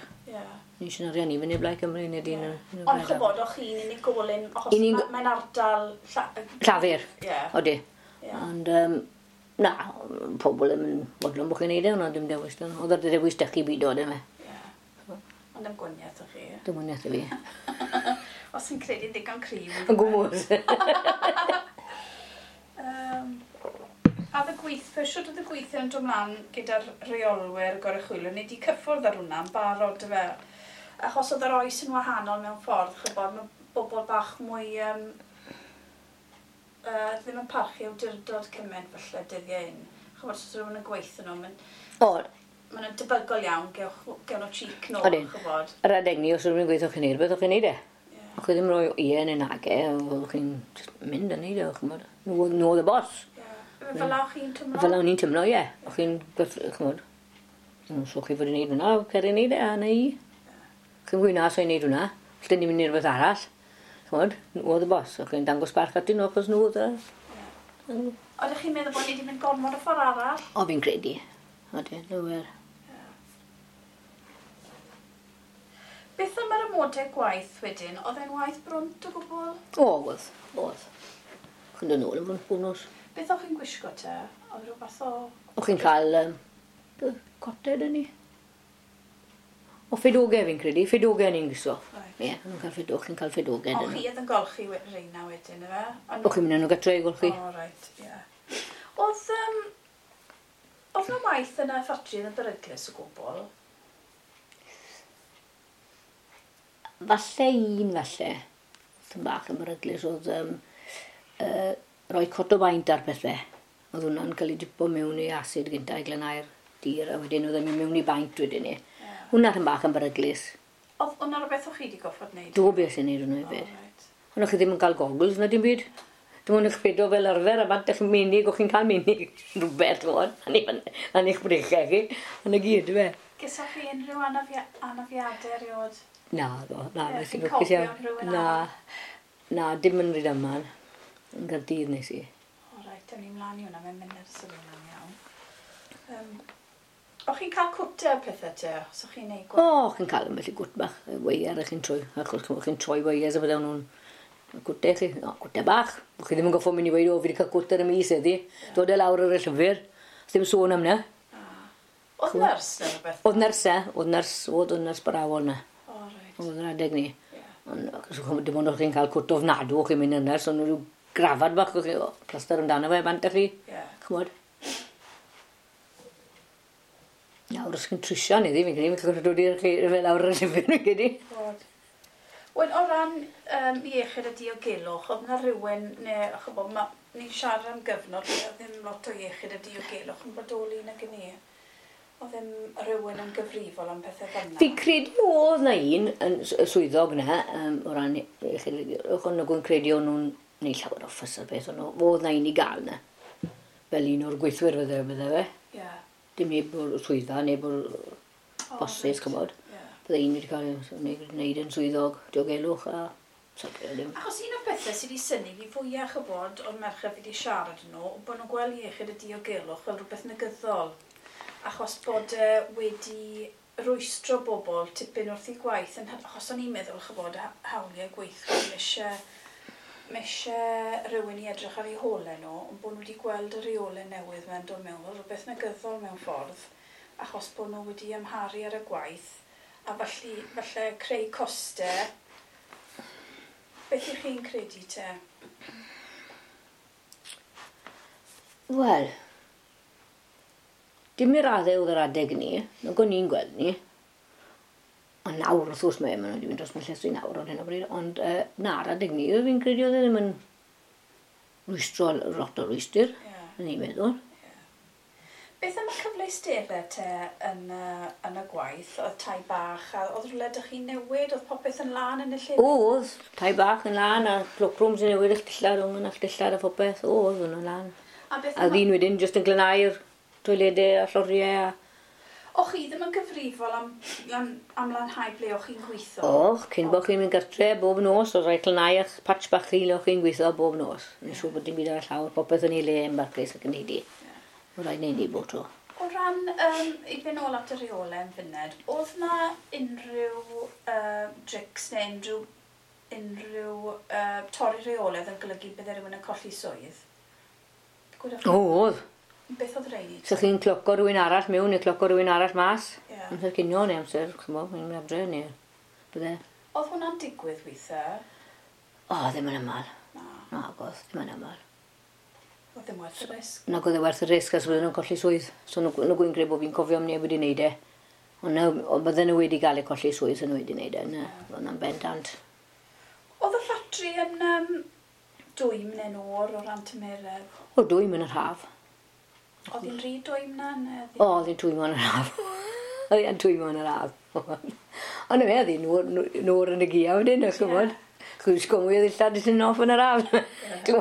Ni eisiau arian i fyny Blaid Cymru neu dyn. Ond ch'bod, o'ch chi'n unigolyn, achos mae'n ardal... Llafur, odi. Ond na, pobl ddim yn fodlon bod chi'n neud e, ond oedd dim dewis dyn nhw. Oedd yr dewis dych chi byd o, dim e. Ond am gwaniaeth o'ch chi? Dim gwaniaeth i fi. Os chi'n credu'n ddigon cryf. Yn gwmws. A y gweithwyr, shwt oedd y gweithwyr yn dod mlaen gyda'r rheolwyr goruchwylwyr? Ni wedi cyffwrdd ar hwnna yn barod, dyfe? Achos oedd yr oes yn wahanol mewn ffordd, ch'bod, mae bobl bach mwy ddim yn parchu awdurdod cymaint falle dyddiau hyn. Ch'bod, os oedd rhywun yn gweithio nhw, maen nhw'n debygol iawn, gewn nhw cheek nôl, ch'bod. Yr adeg ni, os oedd rhywun yn gweithio chi'n neud rhywbeth, o'ch chi'n neud e. O'ch chi ddim rhoi ie neu nage, o'ch chi'n mynd a neud e, ch'bod. Nhw oedd y boss. Fel o'ch chi'n tymlo? Fel o'n i'n tymlo, ie. O'ch chi'n, ch'mod, so chi fod yn neud hwnna, cer i neud e, a na i. Chi'n gweud na, so i'n neud hwnna. Felly ni'n mynd i rhywbeth arall. Ch'mod, nhw oedd y boss. O'ch chi'n dangos barch atyn nhw, achos nhw oedd y... Oeddech chi'n meddwl bod ni wedi mynd gormod o ffordd arall? O, fi'n credu. Odyn, nhw. Beth am yr amodau gwaith wedyn? Oedd e'n waith brwnt o gwbl? O, oedd, oedd. Chi'n dod nôl yn brwnt bob nos. Beth o'ch chi'n gwisgo te? Oedd rhyw fath o... O'ch chi'n cael coted yn ni? O, ffedogau fi'n credu. Ffedogau ni'n gwisgo. Ie, o'n cael ffedog, chi'n cael ffedogau. O, chi oedd yn golchi reina wedyn, efe? O'ch chi'n mynd â nhw gatre i golchi. O, reit, ie. Oedd yna waith yn y ffatri yn y beryglus o gwbl? Falle un, falle. Oedd yn bach yn beryglus, oedd rhoi cot o baint ar pethau. Oedd hwnna'n cael ei dipo mewn i acid gyntaf i glanhau'r dir, a wedyn oedd e'n mynd mewn i baint wedyn ni. Hwnna yn bach yn beryglus. Oedd hwnna rhywbeth o'ch chi wedi goffod wneud? Do beth sy'n neud hwnna hefyd. Ond o'ch chi ddim yn cael goggles na dim byd. Dim ond eich pedo fel arfer, a bant eich menig, o'ch chi'n cael menig rhywbeth, ch'mod, yn eich breichiau chi, yn y gyd, fe. Gesoch chi unrhyw anafiadau erioed? Na, do, na. Chi'n cofio unrhyw Na, na, dim yn Rhydaman. Yn Gaerdydd nes i. O, reit, ewn ni mlaen i hwnna, mae'n mynd ar sylw hwnna'n iawn. O'ch chi'n cael cwtau a pethau te, os o'ch chi'n neud gwaith? O, chi'n cael ambell i gwt bach, weiar chi'n troi, achos chi'n troi weiars a bydde nhw'n cwtau chi, o, cwtau bach. O'ch chi ddim yn goffo mynd i weud, o, fi wedi cael cwt ar y mis heddi, dod e lawr ar y llyfr, ddim sôn am na. Oedd nyrs neu rhywbeth? Oedd nyrs e, oedd nyrs, oedd nyrs brawol na. O, reit. Oedd yr adeg ni. Ond dim ond o'ch chi'n cael cwt ofnadw, o'ch chi'n mynd i'r nyrs, ond rhyw grafad bach, o'ch chi, o, plaster amdano fe, bant â chi. Ch'mod. Nawr, os chi'n trwsio ni ddi, fi'n credu, fi'n credu dod i'r chi fel lawr y llyfr, fi'n credu. Wel, o ran iechyd a diogelwch, oedd yna rhywun, neu, ch'bo, ni'n siarad am gyfnod, lle oedd ddim lot o iechyd a diogelwch yn bodoli nag yn ni. Oedd ddim rhywun yn gyfrifol am pethau fel yna? Fi'n credu oedd na un yn swyddog na, o ran iechyd a diogelwch, ond nag o'n credu o'n nhw'n neud llawer o ffys ar beth, ond oedd na un i gael na. Fel un o'r gweithwyr fydde fe. Dim neb o'r swyddfa, neb o'r bosses, ch'mod. Bydde un wedi cael ei wneud yn swyddog diogelwch a So, ddim. Achos un o'r pethau sydd wedi synnu fi fwyaf chybod o'r merched fi wedi siarad yn nhw, bod nhw'n gweld iechyd y diogelwch fel rhywbeth negyddol. Achos bod e wedi rwystro bobl tipyn wrth eu gwaith, yn, achos o'n i'n meddwl chybod hawliau gweithwyr, mae eisiau rhywun i edrych ar eu holau nhw, ond bod nhw wedi gweld y reolau newydd mewn dod mewn fel rhywbeth negyddol mewn ffordd, achos bod nhw wedi amharu ar y gwaith, a falle creu costau. Beth ych chi'n credu te? Wel, dim i'r raddau oedd yr adeg ni, nag o'n i'n gweld ni. Ond nawr, wrth gwrs, mae nhw wedi mynd dros fy llestri nawr ar hyn o bryd, ond na'r adeg ni, fi'n credu oedd e ddim yn rwystro lot o rwystr, yn i'n meddwl. Beth am y cyfleusterau te yn y gwaith? Oedd tai bach, a oedd rhywle dych chi'n newid? Oedd popeth yn lan yn y lle? Oedd, tai bach yn lan, a cloakrooms yn newid eich dillad, o'n eich dillad a phopeth. Oedd, o'n lan. A ddyn wedyn jyst yn glanhau'r toiledau a lloriau a... O chi ddim yn gyfrifol am lanhau ble o'ch chi'n gweithio? Och, cyn bod chi'n mynd gartre bob nos, oedd rhaid glanhau eich patch bach chi le o'ch chi'n gweithio bob nos. Yn siŵr bod dim byd ar y llawr, popeth yn ei le yn barcus ac yn heidi. Oedd rhaid wneud i bob tro. O ran, i fynd nôl at y reolau yn funud, oedd na unrhyw drics neu unrhyw torri reolau oedd yn golygu bydde rhywun yn colli swydd? Oedd. Beth oedd rheini? So chi'n cloco rhywun arall mewn neu cloco rhywun arall mas. Amser cinio neu amser, ch'mo, chi'n mynd adre neu bydde. Oedd hwnna'n digwydd weithiau? O, ddim yn aml. Na, oedd, ddim yn aml. Oedd ddim werth y risg? Nag oedd e werth y risg, as bydden nhw'n colli swydd. So nhw'n gwy'n credu bod fi'n cofio am neb wedi wneud e. Ond bydden nhw wedi gael eu colli swydd, so nhw wedi wneud e. Na, oedd hwnna'n bendant. Oedd y ffatri yn dwym neu'n oer o ran tymeredd? O, dwym yn yr haf. Oedd hi'n rhy dwym na? O, oedd hi'n twymo yn yr haf. Oedd hi'n twymo yn yr haf. Ond fe, oedd hi'n nôr yn y gia wedyn, o'ch gwybod? Chwys mwy o ddillad i sy'n off yn yr haf. Ti'n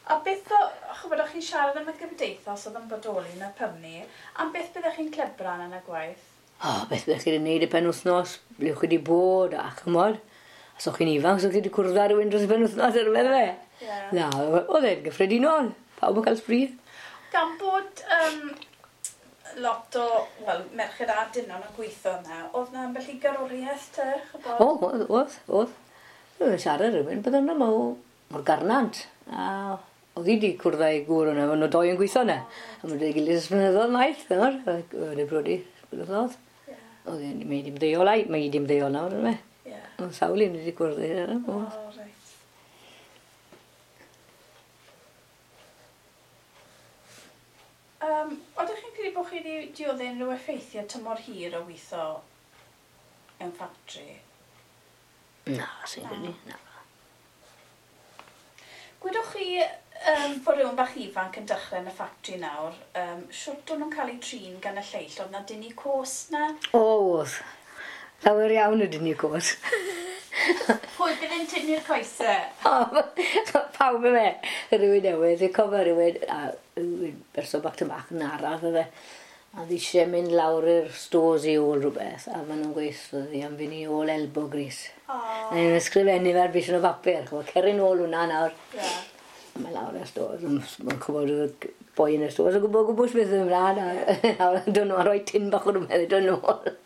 A beth o, chybod, o'ch chi'n siarad am y gymdeithas oedd yn bodoli yn y pymni, am beth byddech chi'n clebran yn y gwaith? O, beth byddech chi wedi gwneud y penwythnos, ble o'ch chi wedi bod, a chymod. Os o'ch chi'n ifanc, os o'ch chi wedi cwrdd â rhywun dros y penwythnos ar rhywbeth fe. Na, oedd e'n gyffredinol. Pawb yn cael sbri. Gan bod lot o, wel, merched a dynon yn gweithio yna, oedd na ambell i garwriaeth te, chybod? O, oedd, oedd. Oedd siarad rhywun, bydd yna mor garnant. A oedd hi wedi cwrdd â'i gŵr yna, maen nhw doi yn gweithio yna. A maen nhw wedi gilydd ers blynyddoedd maith, nawr. Oedd e'n brodi blynyddoedd. Oedd hi'n mynd i ymddeol, mae hi wedi ymddeol nawr, yna. Oedd sawl un wedi cwrdd â hi. O, reit. Oeddech chi'n credu bod chi wedi dioddef unrhyw effeithiau tymor hir o weithio mewn ffatri? Na, sy'n credu, na. Gwydwch chi bod rhywun bach ifanc yn dechrau yn y ffatri nawr, siwt o'n nhw'n cael eu trin gan y lleill? Oedd na dynnu cos na? O, oedd. Lawer iawn o dynnu cos. Pwy bydd yn tynnu'r coesau? O, pawb yma. Rhywun newydd, dwi'n cofio rhywun, a rhywun berson bach tyn bach yn araf yfe. A ddi eisiau mynd lawr i'r stores i ôl rhywbeth, a maen nhw'n gweithio fi am fynd i ôl elbow grease. A nhw'n ysgrifennu fe ar bishyn o bapur, ch'mo', cerin ôl hwnna nawr. A mae lawr i'r stores, mae'n cwbod y boi yn y stores, yn gwybod gwbws beth yn ymlaen, a dod nhw a rhoi tin bach o rhywbeth i dod nôl.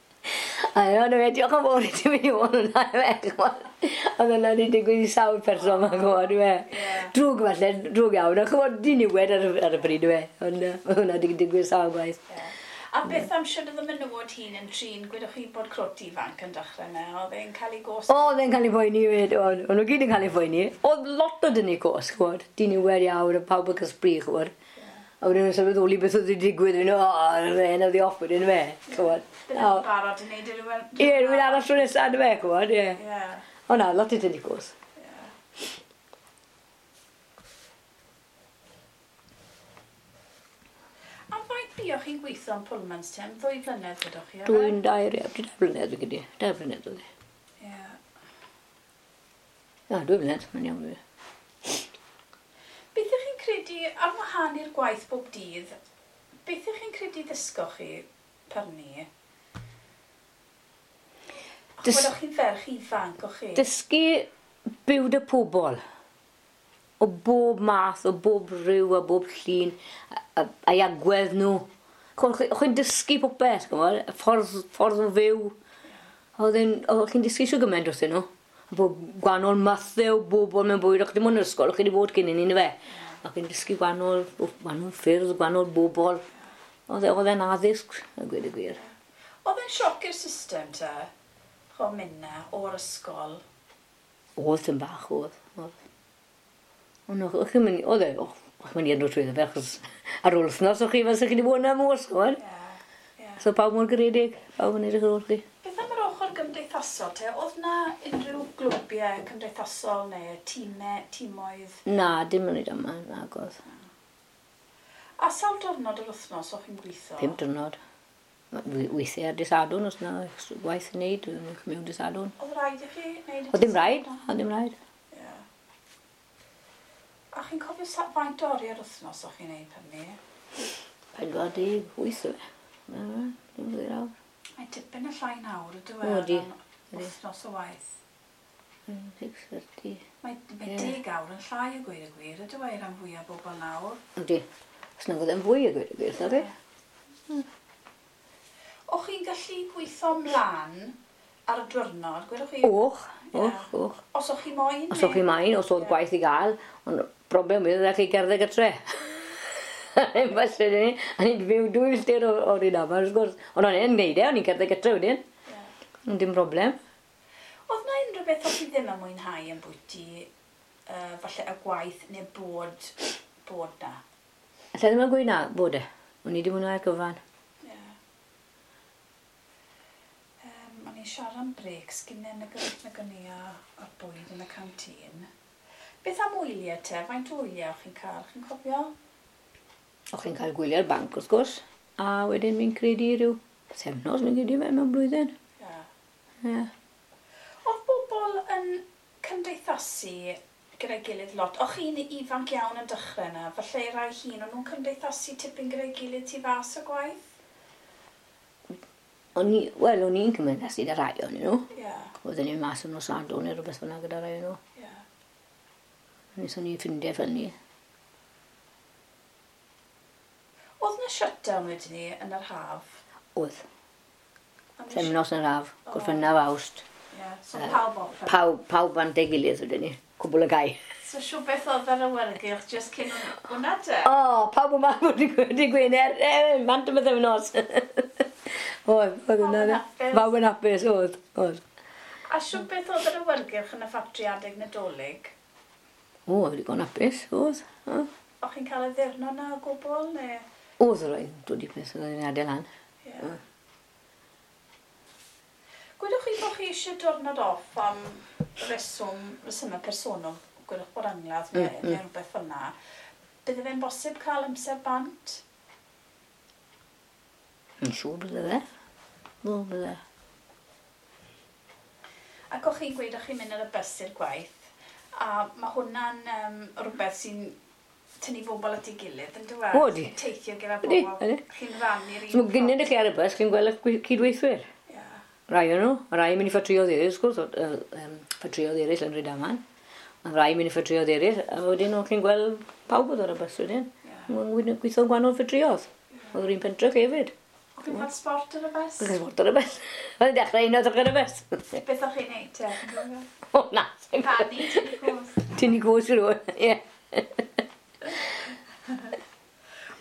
A yna fe, diolch yn fawr i ti mynd i ôl hwnna, fe, ch'mod. Oedd hwnna wedi digwydd i sawl person ma'n gwybod, fe. Drwg falle, drwg iawn, a ch'mod, diniwed ar y bryd, fe. Ond oedd hwnna wedi digwydd sawl gwaith. A beth am siwr oedd y menywod hyn yn trin, gwedwch chi bod crwt ifanc yn dechrau yna, oedd e'n cael ei gos? O, oedd e'n cael ei phoeni hefyd, oedd nhw gyd yn cael ei phoeni. Oedd lot o dynnu cos, ch'mod, diniwed iawn, a pawb yn cael sbri, ch'mod. A wedyn nhw'n sylweddoli beth oedd wedi digwydd, wedyn, o, fe'n oedd i off wedyn, fe, ch'mod. Bydden nhw'n barod yn neud rhywun... Ie, rhywun arall tro nesaf, fe, ch'mod, ie. O na, lot o dynnu cos. Buoch chi'n gweithio yn Pullman's te am 2 blynedd gwydwch chi? Dwi'n dair, ie, 2 blynedd gyda. 2 blynedd oedd e. Ie. Na, 2 blynedd, mae'n iawn fi. Beth ych chi'n credu, ar wahân i'r gwaith bob dydd, beth ych chi'n credu ddysgoch chi pyrnu? Chwed, o'ch chi'n ferch ifanc, o'ch chi? Dysgu byw dy pobl. O bob math, o bob rhyw, a bob llun, a'i agwedd nhw. O'ch chi'n dysgu popeth, ch'mod, y ffordd o fyw. O'ch chi'n dysgu shwd gyment wrthyn nhw. A bod gwahanol mathe o bobl mewn bywyd, o'ch chi ddim ond yn yr ysgol, o'ch chi wedi bod cyn i ni, yndyfe? O'ch chi'n dysgu gwahanol ffyrdd, gwahanol bobl. Oedd e'n addysg, a gweud y gwir. Oedd e'n sioc i'r system te, ch'o mynd 'na o'r ysgol? Oedd tym bach, oedd, oedd. Ond o'ch chi'n mynd, oedd e, o'ch chi'n mynd i adro trwyddo fe, achos ar ôl wythnos o'ch chi fel chi wedi bod yna mos, ch'mod? Ie, ie. So pawb mor garedig, pawb yn edrych ar ôl chi. Beth am yr ochr gymdeithasol te? Oedd na unrhyw glwbiau cymdeithasol neu tîmau, tîmoedd? Na, dim yn oed yma, nagodd. A sawl diwrnod yr wythnos o'ch chi'n gweithio? 5 diwrnod. Weithiau ar dydd Sadwrn, os na gwaith i wneud, mewn dydd Sadwrn. Oedd rhaid i chi wneud y Oedd dim rhaid, oedd dim rhaid. Ie. A chi'n cofio faint o oriau yr wythnos o'ch chi'n wneud hynny? 48 o fe. Dim fwy awr. Mae tipyn y llai nawr, ydw e? Odi. Wythnos o waith. 6:30. Mae 10 awr yn llai o gweud y gwir, ydw e, rhan fwyaf bobl nawr. Ydy. Os nag oedd e'n fwy o gweud y gwir, sori. O'ch chi'n gallu gweithio mlaen ar y diwrnod, gwedwch chi? Och, och, och. Os o'ch chi moyn? Os o'ch chi moyn, os oedd gwaith i gael, ond broblem oedd chi gerdded gytre. Falle ni, a ni'n byw 2 milltir o'r un yma, wrth gwrs. Ond o'n i'n neud e, o'n i'n cerdded gytre wedyn. Ond dim broblem. Oedd na unrhyw beth o'ch chi ddim yn mwynhau yn bwyty, falle y gwaith neu bod na? Alla ddim yn gweud na, bod e. O'n i wedi mwynhau'r gyfan. O'n i'n siarad am breaks gynnau yn y gyni a'r bwyd yn y canteen. Beth am wyliau te? Faint o wyliau o'ch chi'n cael? Chi'n cofio? O'ch chi'n cael gwyliau'r banc, wrth gwrs. A wedyn mi'n credu rhyw pythefnos, mi'n credu fe mewn blwyddyn. Ie. Ie. Oedd bobl yn cymdeithasu gyda'i gilydd lot? O'ch chi'n ifanc iawn yn dechrau yna? Falle rai hun, o'n nhw'n cymdeithasu tipyn gyda'i gilydd tu fas y gwaith? O'n i'n cymdeithasu gyda rai o'n nhw. Ie. Oedden ni'n mas yn nos Sadwrn neu rhywbeth fel 'na gyda rai o'n nhw. Ie. Wnaethon ni ffrindiau fel ni. Oedd na shutdown wedyn ni yn yr haf? Oedd. Pythefnos yn yr haf, Gorffennaf Awst. Ie, so pawb off. Pawb bant ei gilydd wedyn ni, cwbl y gau. So siw beth oedd yr awyrgylch jyst cyn hwnna te? O, pawb yma wedi Gwener, bant y pythefnos. Oedd, oedd hwnna. Pawb yn hapus, oedd, oedd. A siw beth oedd yr awyrgylch yn y ffatri adeg Nadolig? O, oedd digon hapus, oedd. O'ch chi'n cael y ddiwrnod na o gwbl, neu? Oedd rhaid, dod i peth oedd yn adael lan. Ie. Gwedwch chi bod chi eisiau diwrnod off am resymau personol, gwedwch bod angladd neu rhywbeth fel yna. Bydde fe'n bosib cael amser bant? Yn siŵr bydde fe. O, bydde. Ac o'ch chi'n gweud o'ch chi'n mynd ar y bus i'r gwaith, a mae hwnna'n rhywbeth sy'n tynnu bobl at ei gilydd, yn dwi? O, di. Teithio gyda bobl. Chi'n rannu'r un. So, gynnyn chi ar y bus, chi'n gweld eich cydweithwyr. Ie. Rai o'n nhw, rai yn mynd i ffatrïoedd eraill, wrth gwrs, ffatrïoedd eraill yn Rhydaman. A rai yn mynd i ffatrïoedd eraill, a wedyn o'ch chi'n gweld pawb oedd ar y bus wedyn. Ie. Gweithio'n gwahanol ffatrïoedd. Oedd yr un pentref hefyd. O'ch chi'n cael sport ar y bus? O'ch chi'n sport ar y bus. Oedd yn dechrau un o'r ar y bus. Beth o'ch chi'n neud te? O, na. Canu, tynnu gwrs. Tynnu gwrs i rhywun, ie.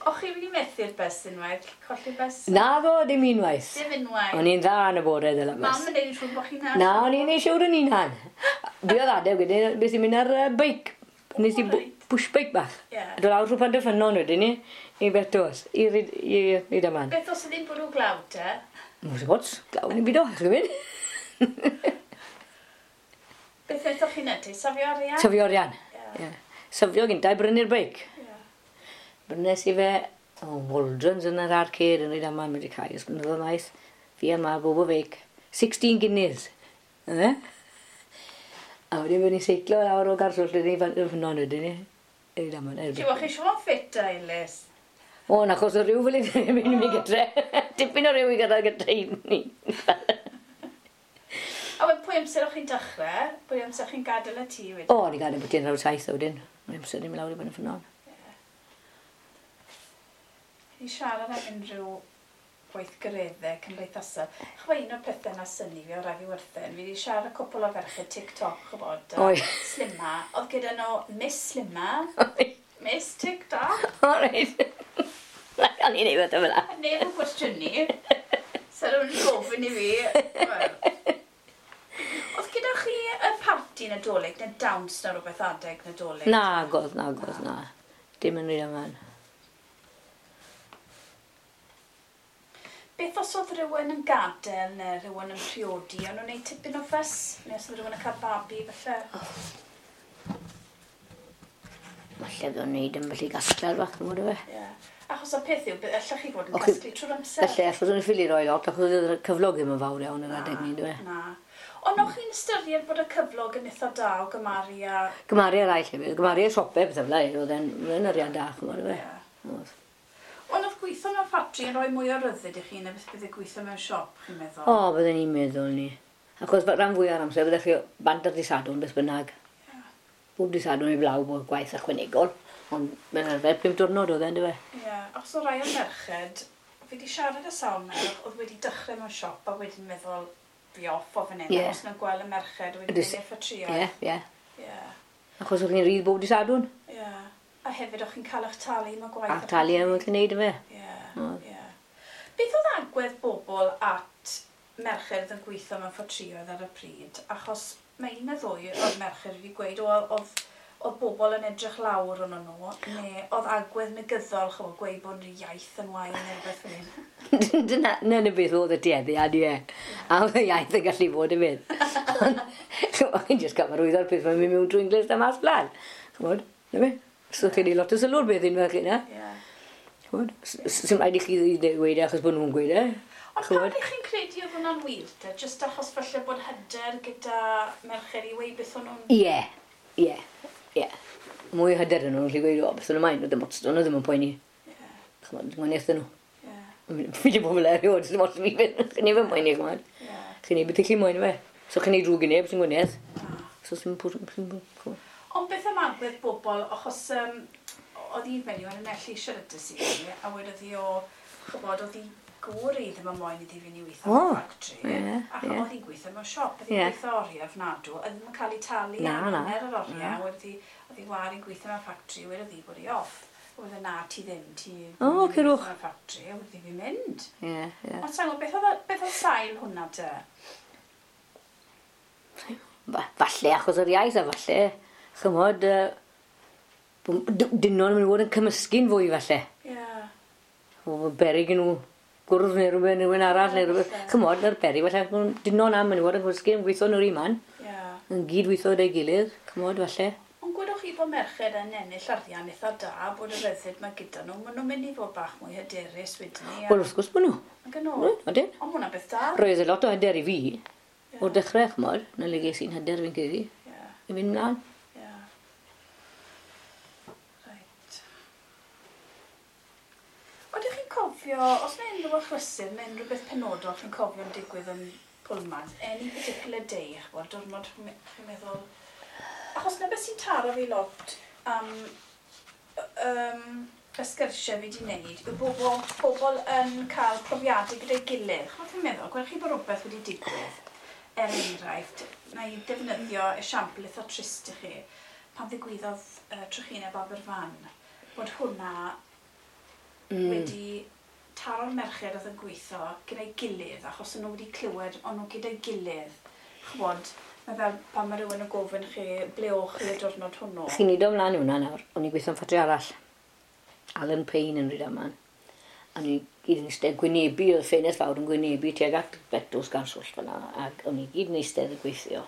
O'ch chi'n mynd i methu'r bus unwaith? Colli'r bus? Na ddo, dim unwaith. Dim unwaith. O'n i'n dda yn y bore ddel y bus. Mam yn neud yn siŵr bod chi'n... Na, o'n i'n neud siŵr yn unan. Dwi oedd adeg wedyn, beth i'n mynd ar beic. Nes i push bike bach. Ie. A dod lawr trwy Pantyffynon wedyn ni, i Betws, i Rydaman. Beth os ydy'n bwrw glaw te? Mwys o bots, glaw yn y byd o, chi'n mynd. Beth wnaethoch chi'n neud? Safio arian? Safio arian, ie. Safio gynta i brynu'r beic. Brynes i fe, Waldron's yn yr arcade yn Rydaman wedi cael, ys blynyddoedd maes, fi a ma bob o feic, 16 guineas. Yna? A wedyn bod ni'n seiclo lawr o Garswllt wedyn i Ffynnon wedyn ni. I Rydaman. Ti'n chi siŵr ffit a Elis? O, na, achos o rhyw fel i'n mynd i gytre. Tipyn o rhyw i gyrraedd gytre i ni. pwy amser o'ch chi'n dechrau? Pwy amser chi'n gadael y tŷ wedyn? O, o'n i'n gadael bwtyn 7 wedyn. O'n i'n amser i'n mynd lawr i Ben y Ffynnon. Ni siarad am unrhyw gweithgareddau cymdeithasol. Chwa un o'r pethau na synnu fi o rai fi werthen, fi wedi siarad â cwpl o ferched TikTok, chybod, Slimma. Oedd gyda nhw Miss Slimma, Miss TikTok. O, reit. Na, o'n i'n ei fod o fel A neb yn cwestiynu. So rhywun yn gofyn i fi. Wel. Oedd gyda chi y parti Nadolig neu dawns neu rhywbeth adeg Nadolig? Nagodd, nagodd, na. Dim yn rhy yma. Beth os oedd rhywun yn gadael neu rhywun yn priodi, o'n nhw'n gwneud tipyn o ffys? Neu os oedd rhywun yn cael babi, falle? Falle fydd o'n neud yn felly gasglu'r bach, yn fod o fe. Ie. Achos y peth yw, allech chi fod yn casglu trwy'r amser. Felly, achos o'n ffili roi lot, achos oedd y cyflog ddim yn fawr iawn yr adeg ni, dwi. Na. Ond o'ch chi'n ystyried bod y cyflog yn eitha da o gymaru a... Gymaru ar rai llefydd, gymaru ar siopau, beth fel oedd e'n arian da, chymod, fe. Oedd. Ond oedd gweithio mewn ffatri yn rhoi mwy o ryddid i chi na beth bydde gweithio mewn siop, chi'n meddwl? O, bydden ni'n meddwl ni. Achos rhan fwy o'r amser, byddech chi bant ar dydd Sadwrn, beth bynnag. Yeah. Bob dydd Sadwrn i blaw bod gwaith ychwanegol, ond mae'n arfer 5 diwrnod oedd e, yndyfe? Ie, yeah, achos o rai o'r merched, fi wedi siarad â sawl merch, oedd wedi dechrau mewn siop a wedyn meddwl fi off o fan hyn, achos nhw'n gweld y merched wedi mynd i'r ffatrïoedd. Ie, ie. Achos o'ch chi'n rhydd bob dydd Sadwrn. Ie. Yeah. A hefyd o'ch chi'n cael eich talu am y gwaith. A talu am eich gwneud yma. Ie, ie. Beth oedd agwedd bobl at merched yn gweithio mewn ffatrïoedd ar y pryd? Achos mae un neu ddwy o'r merched wedi gweud oedd bobl yn edrych lawr arno nhw, neu oedd agwedd negyddol, chymod, gweud bod yr iaith yn wael neu rhywbeth fel hyn. Dyna na beth oedd y tueddiad, ie. A oedd y iaith yn gallu bod yn fydd. Chymod, chi'n jyst cyfarwyddo'r peth mae'n mynd mewn trwy Inglis a mas blaen. Chymod, na fe? So chi'n ei lot o sylw'r beth unwaith chi, na? Ie. Chymod, sy'n rhaid i chi ddweud e achos bod nhw'n gweud e. Ond pam ych chi'n credu oedd hwnna'n wir te? Jyst achos falle bod hyder gyda merched i weud beth o'n nhw'n... Ie, ie, ie. Mwy o hyder yn nhw'n gallu gweud, o, beth o'n nhw'n maen, oedd ddim yn poeni. Chymod, dwi'n gwaniaeth nhw. Fi wedi bod fel erioed, sy'n ots fi fynd, chi'n ei fy moyn i, chymod. Chi'n ei beth i chi moyn fe. So chi'n ei drwg i neb, sy'n gwaniaeth. So sy'n pwr... Ond beth am agwedd bobl, achos oedd un fenyw yn enellu siaradus i fi, a wedodd hi o, chybod, oedd hi gŵr i ddim yn moyn iddi fynd i weithio mewn ffatri. Ac oedd hi'n gweithio mewn siop, oedd hi'n gweithio oriau ofnadw, oedd ddim yn cael ei talu am hanner yr oriau, wedodd hi, oedd hi war i'n gweithio mewn ffatri, wedodd hi bod hi off. Wedodd hi, na, ti ddim, ti ddim yn gweithio mewn ffatri, a wedodd hi fi'n mynd. Ond sa'n gwybod, beth oedd sail hwnna te? Falle achos yr iaith a falle, chymod, dynon yn mynd i fod yn cymysgu'n fwy falle. Ie. O beryg nhw gwrdd neu rhywbeth, neu rhywun arall, neu rhywbeth. Chymod, na'r beryg, falle, dynon am yn i fod yn cymysgu, yn gweithio nhw'r un man. Ie. Yn gyd-weithio gyda'i gilydd, chymod, falle. Ond gwedwch chi bod merched yn ennill arian eitha da, bod y ryddid mae gyda nhw, maen nhw'n mynd i fod bach mwy hyderus wedyn ni. Wel, wrth gwrs bod nhw. Ac yn ôl. Odyn. Ond hwnna'n beth da. Roedd e lot o hyder i fi. O'r dechrau, chymod, na le ges i'n hyder fi'n credu. I fynd mlaen. Odych chi'n cofio, os mae unrhyw achlysur neu unrhyw beth penodol chi'n cofio'n digwydd yn Pullman, any particular day, ch'mod, diwrnod chi'n meddwl... Achos na beth sy'n taro fi lot am y sgyrsiau fi wedi wneud, yw pobl yn cael profiadau gyda'i gilydd. Ch'mod chi'n meddwl, gwelwch chi bod rhywbeth wedi digwydd, er enghraifft, na i ddefnyddio esiampl eitha trist i chi, pan ddigwyddodd trychineb Aberfan, bod hwnna wedi taro'r merched oedd yn gweithio gyda'i gilydd, achos o'n nhw wedi clywed, o'n nhw gyda'i gilydd. Ch'mod, mae fel pan mae rhywun yn gofyn chi, ble o'ch chi y diwrnod hwnnw? Chi'n neud o mlaen i hwnna nawr, o'n i'n gweithio'n ffatri arall. Alan Payne yn Rhydaman. A o'n i gyd yn eistedd gwynebu, oedd ffenest fawr yn gwynebu tuag at Betws gan Swllt fan'na, ac o'n i gyd yn eistedd yn gweithio.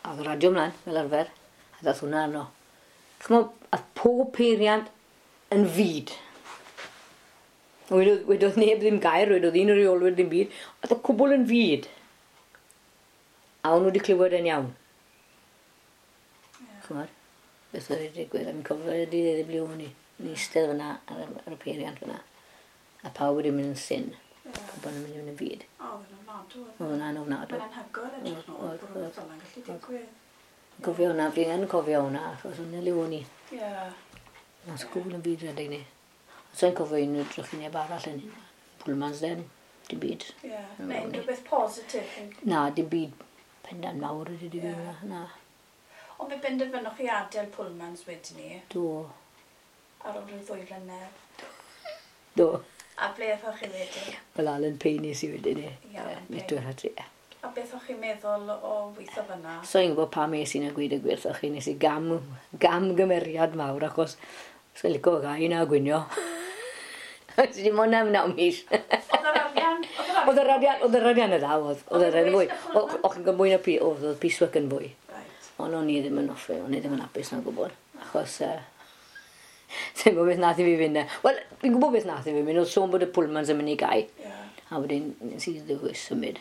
A oedd y radio mlaen, fel arfer, a ddath hwnna arno. Ch'mod, ath pob peiriant yn fud. Wedodd neb ddim gair, wedodd un o'r reolwyr ddim byd, oedd y cwbl yn fud. A o'n nhw wedi clywed yn iawn. Ch'mod, beth oedd wedi digwydd, a fi'n cofio y dydd ble o'n i. O'n i eistedd fan'na ar y peiriant fan'na. A pawb wedi mynd yn syn. Pobl yn mynd yn fud. O, Oedd yn ofnadw. Oedd hwnna'n ofnadw. Mae'n anhygoel edrych nôl bod rhywbeth fel yna'n gallu digwydd. Cofio hwnna, fi yn cofio hwnna, achos hwnna le o'n i. Ie. Na sgŵl yn byd rhedeg ni. Sa'n cofio unrhyw drychineb arall yn hynna. Pullmans den, dim byd. Ie. Neu unrhyw beth positif. Na, dim byd pendant mawr wedi digwydd yeah. Na. Ond fe benderfynoch chi adael Pullmans wedyn ni? Do. Ar ôl rhyw 2 flynedd? Do. A ble aethoch chi wedyn? Fel Alan Payne nes i wedyn ni. Ie, Metwyr adre, ie. A beth o'ch chi'n meddwl o weithio fyna? So i'n gwybod pam es i'n gweud y gwir chi, nes i gam, gamgymeriad mawr achos sai'n licio gau na gwinio. Dim ond am 9 mis. Oedd yr arian? Oedd yr arian, oedd yr arian y dda, oedd. Oedd yr arian fwy. O'ch chi'n gael mwy na oedd oedd piecework yn fwy. Ond o'n i ddim yn offi, o'n i ddim yn hapus na'n gwybod. Achos, sa'n gwybod beth nath i fi fynd. Wel, fi'n gwybod beth nath i fi fynd, oedd sôn bod y Pullmans yn mynd i gau. A wedyn, nes i ddewis symud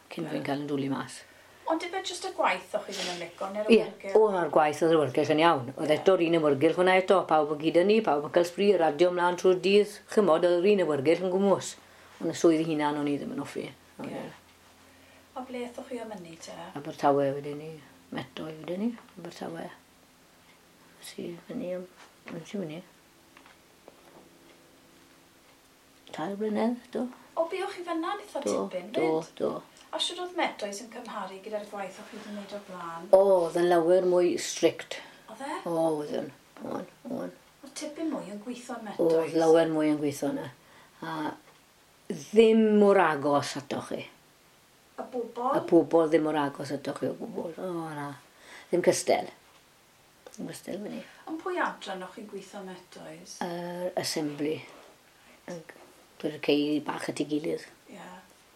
cyn fi'n cael yn dwlu mas. Ond ife jyst y gwaith o'ch chi ddim yn licio, neu'r awyrgylch? Ie, o'r gwaith oedd yr awyrgylch yn iawn. Oedd eto'r un awyrgylch hwnna eto, pawb yn gyda ni, pawb yn cael sbri, radio ymlaen trwy'r dydd. Chymod, oedd yr un awyrgylch yn gwmws. Ond y swydd hunan o'n i ddim yn hoffi. Ie. A ble aethoch chi am hynny te? Abertawe wedyn ni, Metoi wedyn ni, Abertawe. Si fyny am, si fyny. 3 blynedd, do. O, buoch chi fyna yn eitha tipyn, Do, do. A siwr oedd Metoes yn cymharu gyda'r gwaith o'ch chi wedi wneud o'r blaen? O, oedd yn lawer mwy strict. Oedd e? O, oedd yn. O'n, o'n. Oedd tipyn mwy yn gweithio yn Metoes? Oedd lawer mwy yn gweithio yna. A ddim mor agos atoch chi. Y bobl? Y bobl ddim mor agos atoch chi o gwbl. O, na. Ddim cystel. Ddim cystel fyny. Ond pwy adran o'ch chi'n gweithio yn Metoes? Yr assembly. Dweud y cei bach at ei gilydd. Ie.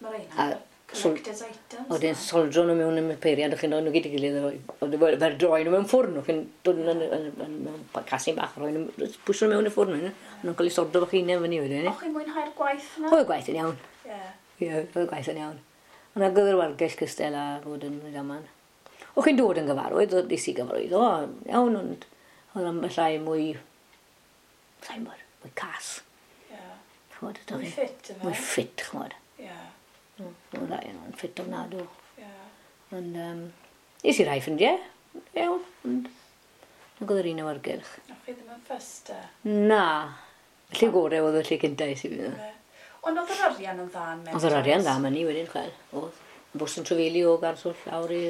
Mae rheina. Collector's items. Oedd e'n soldro nhw mewn y peiriant, o'ch chi'n dod nhw gyd i gilydd, oedd e'n droi nhw mewn ffwrn, o'ch chi'n dod mewn casyn bach, roi nhw, pwysio nhw mewn y ffwrn, o'n nhw'n cael ei sordo fach hunain fyny wedyn. O'ch chi'n mwynhau'r gwaith yna? Oedd y gwaith yn iawn. Ie. Ie, oedd y gwaith yn iawn. Ond ag oedd yr wargell cystel a fod yn gaman. O'ch chi'n dod yn gyfarwydd, oedd nes i gyfarwydd, o, iawn, ond oedd ambell rai mwy, sa'n gwybod, mwy cas. Ie. Ch'mod, Mwy ffit, yfe? Mwy ffit, ch'mod. Ie. Oedd rai yn ffit ofnadw. Ie. Ond, nes i rai ffrindiau, iawn, ond nag oedd yr un awyrgylch. O'ch chi ddim yn ffyst e? Na. Y lle gorau oedd y lle cynta es i fynd. Ond oedd yr arian yn dda yn Metoes? Oedd yr arian dda myny wedyn, chwel. Oedd. Bws yn trafeili o Garswll lawr i...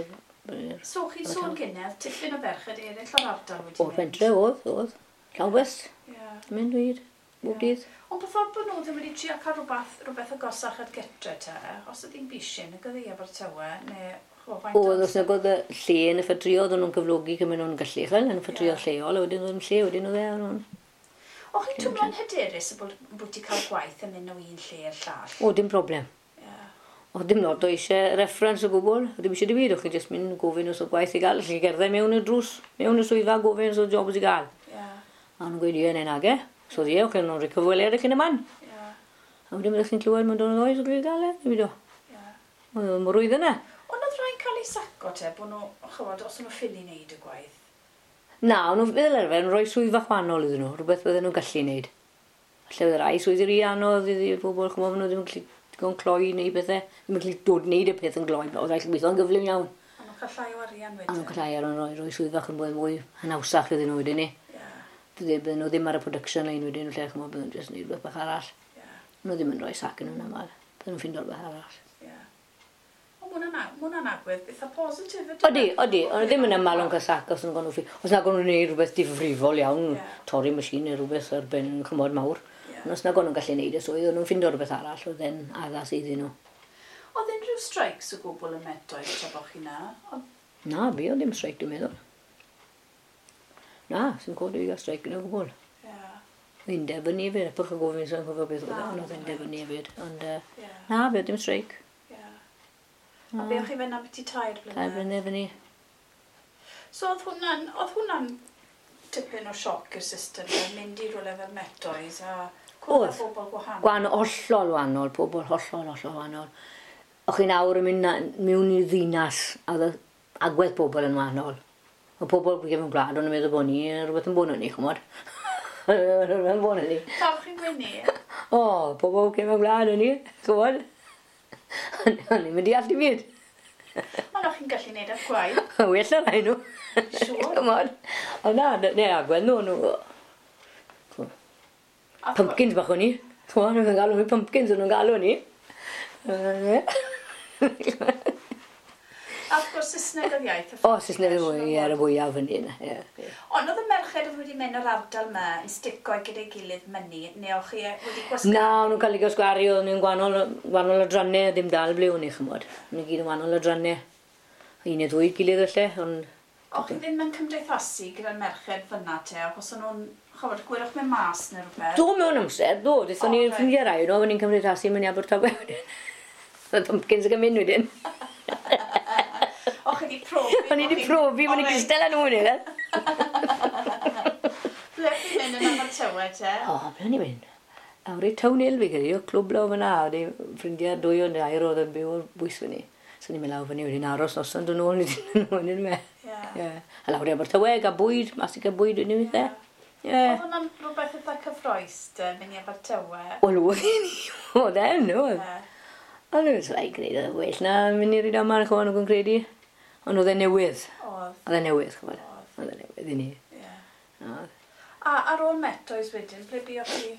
So chi'n sôn gynedd, tipyn o ferched eraill o'r ardal wedi mynd? O'r pentre oedd, oedd. Llawn bws. Ie. Mynd wir, bob dydd. Ond beth oedd bod nhw ddim wedi trio cael rhywbeth agosach at gytre te, os oedd hi'n bishyn, ac oedd hi Abertawe, neu faint Oedd, os nag oedd y lle yn y ffatrïoedd, o'n nhw'n cyflogi cymryd nhw'n gallu, chwel, yn y ffatrïoedd lleol, a wedyn oedd yn lle, wedyn oedd e, o'n nhw'n... O'ch chi'n twmlo'n hyderus y bod ti cael gwaith yn mynd o un lle i'r llall? O, dim problem. Yeah. O, dim lot o eisiau reference o gwbl, o dim eisiau dim byd, o'ch chi'n jyst mynd gofyn os o gwaith i gael, chi gerdded mewn y drws, mewn y swyddfa, gofyn os o jobs i gael. Yeah. A nhw'n gweud, ie, neu nage. So ie, o'ch chi'n rhoi cyfweliad o'ch chi'n y man. Yeah. A wedyn byddwch chi'n clywed mewn dod oes o'ch chi'n gael e, ddim byd o. Yeah. Oedd o'n mor rwydd yna. Ond oedd rhai'n cael ei saco te, bod nhw, chywod, os o'n nhw ffili wneud y gwaith? Na, o'n nhw fel arfer yn rhoi swyddfa chwanol iddyn nhw, rhywbeth bydden nhw'n gallu wneud. Falle oedd rai swyddi rhy anodd iddi bobl, chymod, nhw ddim yn gallu digon cloi neu bethau, ddim yn gallu dod wneud y peth yn gloi, oedd rhaid gweithio'n gyflym iawn. A nhw'n cael llai o arian wedyn? A nhw'n cael llai ar rhoi, rhoi swyddfa yn mwy, mwy hanawsach iddyn nhw wedyn ni. Yeah. Bydden nhw ddim ar y production line wedyn, lle chymod, bydden nhw'n jyst wneud rhywbeth bach arall. Yeah. Nhw ddim yn rhoi sac yn nhw'n aml, bydden nhw'n ffindo rhywbeth arall. Yeah. Ond ma' hwnna'n agwedd eitha positif ydy? Odi, odi, ond ddim yn aml o'n cael sac os nhw'n gwneud Os nag o'n nhw'n gwneud rhywbeth difrifol iawn, torri machine neu rhywbeth ar ben chymod mawr. Yeah. Ond os nag o'n nhw'n gallu gwneud y swydd, o'n nhw'n ffindo rhywbeth arall, oedd e'n addas iddyn nhw. Oedd unrhyw streics o gwbl yn Metoes tra bo' chi na? Na, fi oedd ddim streic, dwi'n meddwl. Na, sy'n codi i gael streic yn o gwbl. Yeah. Undeb yn ni hefyd, epych o gofyn sy'n cofio beth oedd, ond oedd undeb yn ni hefyd. Ond na, fi oedd ddim streic. A be o'ch chi fynd am byti 3 blynedd? 3 blynedd fyny. So oedd hwnna'n tipyn o sioc i'r system, mynd i rhywle fel Metoes a cwrdd â bobl gwahanol? Gwahanol, hollol wahanol, pobl hollol, hollol wahanol. O'ch chi'n awr yn mynd mewn i ddinas, a oedd agwedd pobl yn wahanol. Oedd pobl gefn gwlad, o'n meddwl bod ni, rhywbeth yn bod ni, ch'mod. Rhywbeth yn bod ni. Pam chi'n gweud ni? O, pobl gefn gwlad o'n i, ch'mod. O'n i'n mynd i all i byd. Ond o'ch chi'n gallu neud eich gwaith. Well na rai nhw. Siŵr. C'mon. Ond na, ne, agwedd nhw, nhw. Pumpkins bach o'n i. Ch'mod, nhw'n galw fi pumpkins, o'n nhw'n galw ni. Yy. A wrth gwrs Saesneg oedd iaith y O, Saesneg oedd fwy, ie, y fwyaf fan hyn, ie. Ond oedd y merched oedd wedi mynd o'r ardal yma yn stico gyda'i gilydd mynu, neu o'ch chi wedi gwasgaru? Na, o'n nhw'n cael eu gwasgaru, o'n nhw'n gwahanol, gwahanol adrannau, ddim dal ble o'n i, ch'mod. O'n nhw gyd yn wahanol adrannau. Un neu ddwy gilydd felly, ond... O'ch chi ddim yn cymdeithasu gyda'r merched fyna te, achos o'n nhw'n, ch'mod, gwelwch mewn mas neu rhywbeth? Do, mewn amser, do. Dethon ni'n ffrindiau rai nhw, o'n i'n cymdeithasu mewn i Abertawe wedyn. Oedd pumpkins yn mynd wedyn. O'ch chi wedi profi? O'n i wedi profi, o'n i'n cystal â nhw wedyn. Ble chi'n mynd yn Abertawe te? O, ble o'n i'n mynd? Awr i Town Hill fi credu, o clwb lawr fyna, oedd ei ffrindiau dwy o'n dair oedd yn byw o'r bwys fyny. So ni'n mynd lawr fyny wedyn aros noson dod nôl wedyn wedyn me. Ie. Ie. A lawr i Abertawe, gael bwyd, mas i gael bwyd wedyn weithiau. Ie. Oedd hwnna'n rhywbeth eitha cyffrous te, mynd i Abertawe? Wel, oedd hi ni. Oedd e'n, oedd. Ie. Ond oedd e'n gwneud oedd well na mynd i'r Rydaman, ch'mod, nhw'n credu. Ond oedd e'n newydd. Oedd. Oedd e'n newydd, ch'mod. Oedd e'n newydd i ni. Ie. Oedd. A ar ôl Metoes wedyn, ble buoch chi?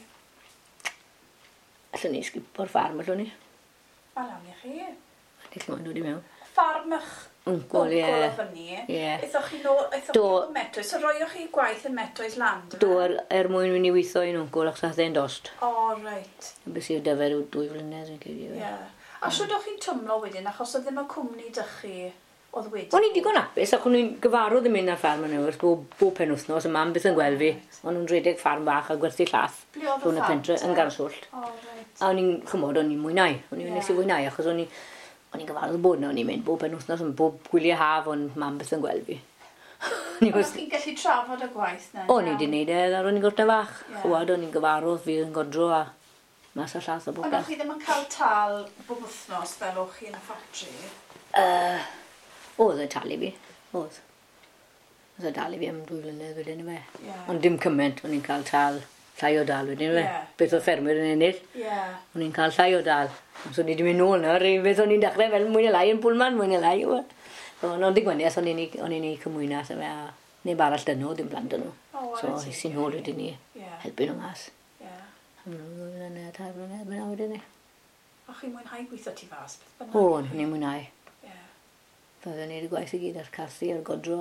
Allwn ni sgipo'r ffarm, allwn ni. Wel, awn i chi. Ni ch'mod, dod i mewn. Ffarm eich Wncwl, ie. wncwl o fyny. Ie. Aethoch chi nôl, aethoch Do. chi o Metoes. So roioch chi gwaith yn Metoes Land? Do, er mwyn mynd i weithio i'n wncwl, achos ath e'n dost. O, reit. Bys i'r dyfer yw 2 flynedd, fi'n credu. Ie. A shwd o'ch chi'n twmlo wedyn, achos oedd ddim y cwmni dych chi oedd wedi? O'n i'n digon hapus, ac o'n i'n gyfarwydd yn mynd ar ffarm yn yw'r bob, bob penwythnos, y mam byth yn gweld fi. O'n nhw'n rhedeg ffarm bach a gwerthu llath. Ble oedd y rhwng y ffarm pentre, te? yn Garswllt. O, reit. A o'n i'n, ch'mod, o'n i'n mwynhau. O'n i'n Ie. nes i fwynhau, achos o'n i'n gyfarwydd bod yna, o'n i'n mynd bob penwythnos, ond bob gwyliau haf, o'n mam byth yn gweld fi. O'n i Ond wrth- o'ch chi'n gallu trafod y gwaith na? O'n i wedi gwneud e, ar o'n i'n gorta fach. Ie. Ch'mod, o'n i'n gyfarwydd, fi yn godro a mas a llath o Ond o'ch bopeth. chi ddim yn cael tal bob wythnos fel o'ch chi yn y ffatri? Oedd e'n talu fi, oedd. Oedd e'n talu fi am 2 flynedd wedyn yfe. Ie. Ond dim cymaint, o'n i'n cael tal, llai o dal wedyn yfe. Ie. Beth oedd ffermwyr yn ennill, Ie. o'n i'n cael llai o dal. So o'n i wedi mynd nôl nawr, i beth o'n i'n dechrau fel mwy neu lai yn Pullman, mwy neu lai. yw e. So, ond digwyniaeth, o'n i'n ei cymwynas yfe, a neb arall dyn nhw, dim plant dyn nhw. O, So, ware es teg. i nôl wedyn i Ie. helpu nhw mas. Ie. Am 2 flynedd, 3 flynedd, mynd wedyn ni. O'ch chi'n mwynhau gweithio tu fas, beth bynnag? O, o'n i'n mwynhau. Ie. Byddwn ni'n gwaith i gyd ar carthu, ar godro.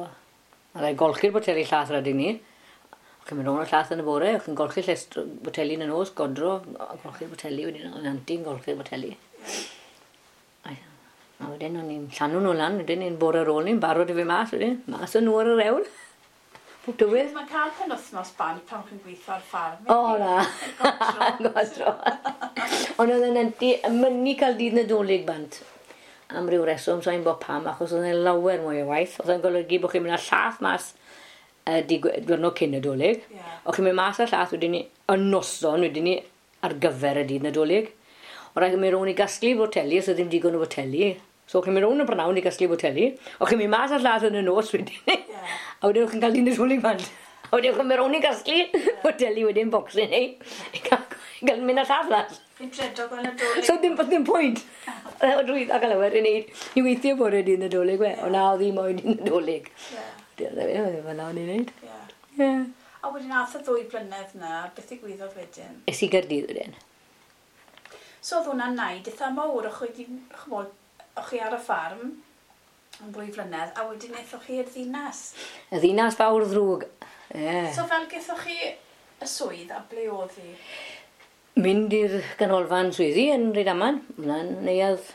A rhaid golchi'r boteli llath rhaid i ni. O'ch chi'n mynd rownd y llath yn y bore, o'ch chi'n golchi llestr boteli yn y nos, godro, a golchi'r boteli, wedyn o'n anti'n golchi'r boteli. A a wedyn o'n i'n llanw nhw lan, wedyn ni'n bore ar ôl ni'n barod i fi mas, wedyn, mas yn nhw ar yr ewl. Pob tywydd. Mae'n cael penwythnos bant pan chi'n gweithio ar ffarm. O, na. Godro. Godro. Ond oedd yn anti yn mynnu cael dydd Nadolig bant. Am ryw reswm, sa'n bod pam, achos oedd e'n lawer mwy o waith. Oedd e'n golygu bod chi'n mynd â llath mas y diwrnod cyn Nadolig. Ie. O'ch chi'n mynd mas â llath wedyn ni, y noson wedyn ni, ar gyfer y dydd Nadolig. O rhaid chi'n mynd rownd i gasglu boteli, os oedd ddim digon o boteli. So o'ch chi'n mynd rownd y brynawn i gasglu boteli. O'ch chi'n mynd mas â'r llath yn y nos wedyn ni. Ie. A wedyn o'ch chi'n cael dydd Nadolig bant. A wedyn o'ch chi'n mynd rownd i gasglu boteli wedyn bocsyn ni. I gael, i gael mynd â llath mas. Fi'n dredo gweld Nadolig. So dim pwynt. Oedd rwydd ac alawer i wneud i weithio bore dydd Nadolig we. O na, oedd hi moyn dydd Nadolig. Ie. Dyna fe, oedd e fel o'n i'n wneud. Ie. Ie. A wedyn ath y 2 blynedd na, beth ddigwyddodd wedyn? Es i Gaerdydd wedyn. So oedd hwnna'n naid eitha mawr, o'ch chi wedi, ch'mod, o'ch chi ar y ffarm am 2 flynedd, a wedyn aethoch chi i'r ddinas. Y ddinas fawr ddrwg. Ie. So fel gaethoch chi y swydd a ble oedd hi? Mynd i'r ganolfan swyddi yn Rydaman. Hwnna'n neuadd...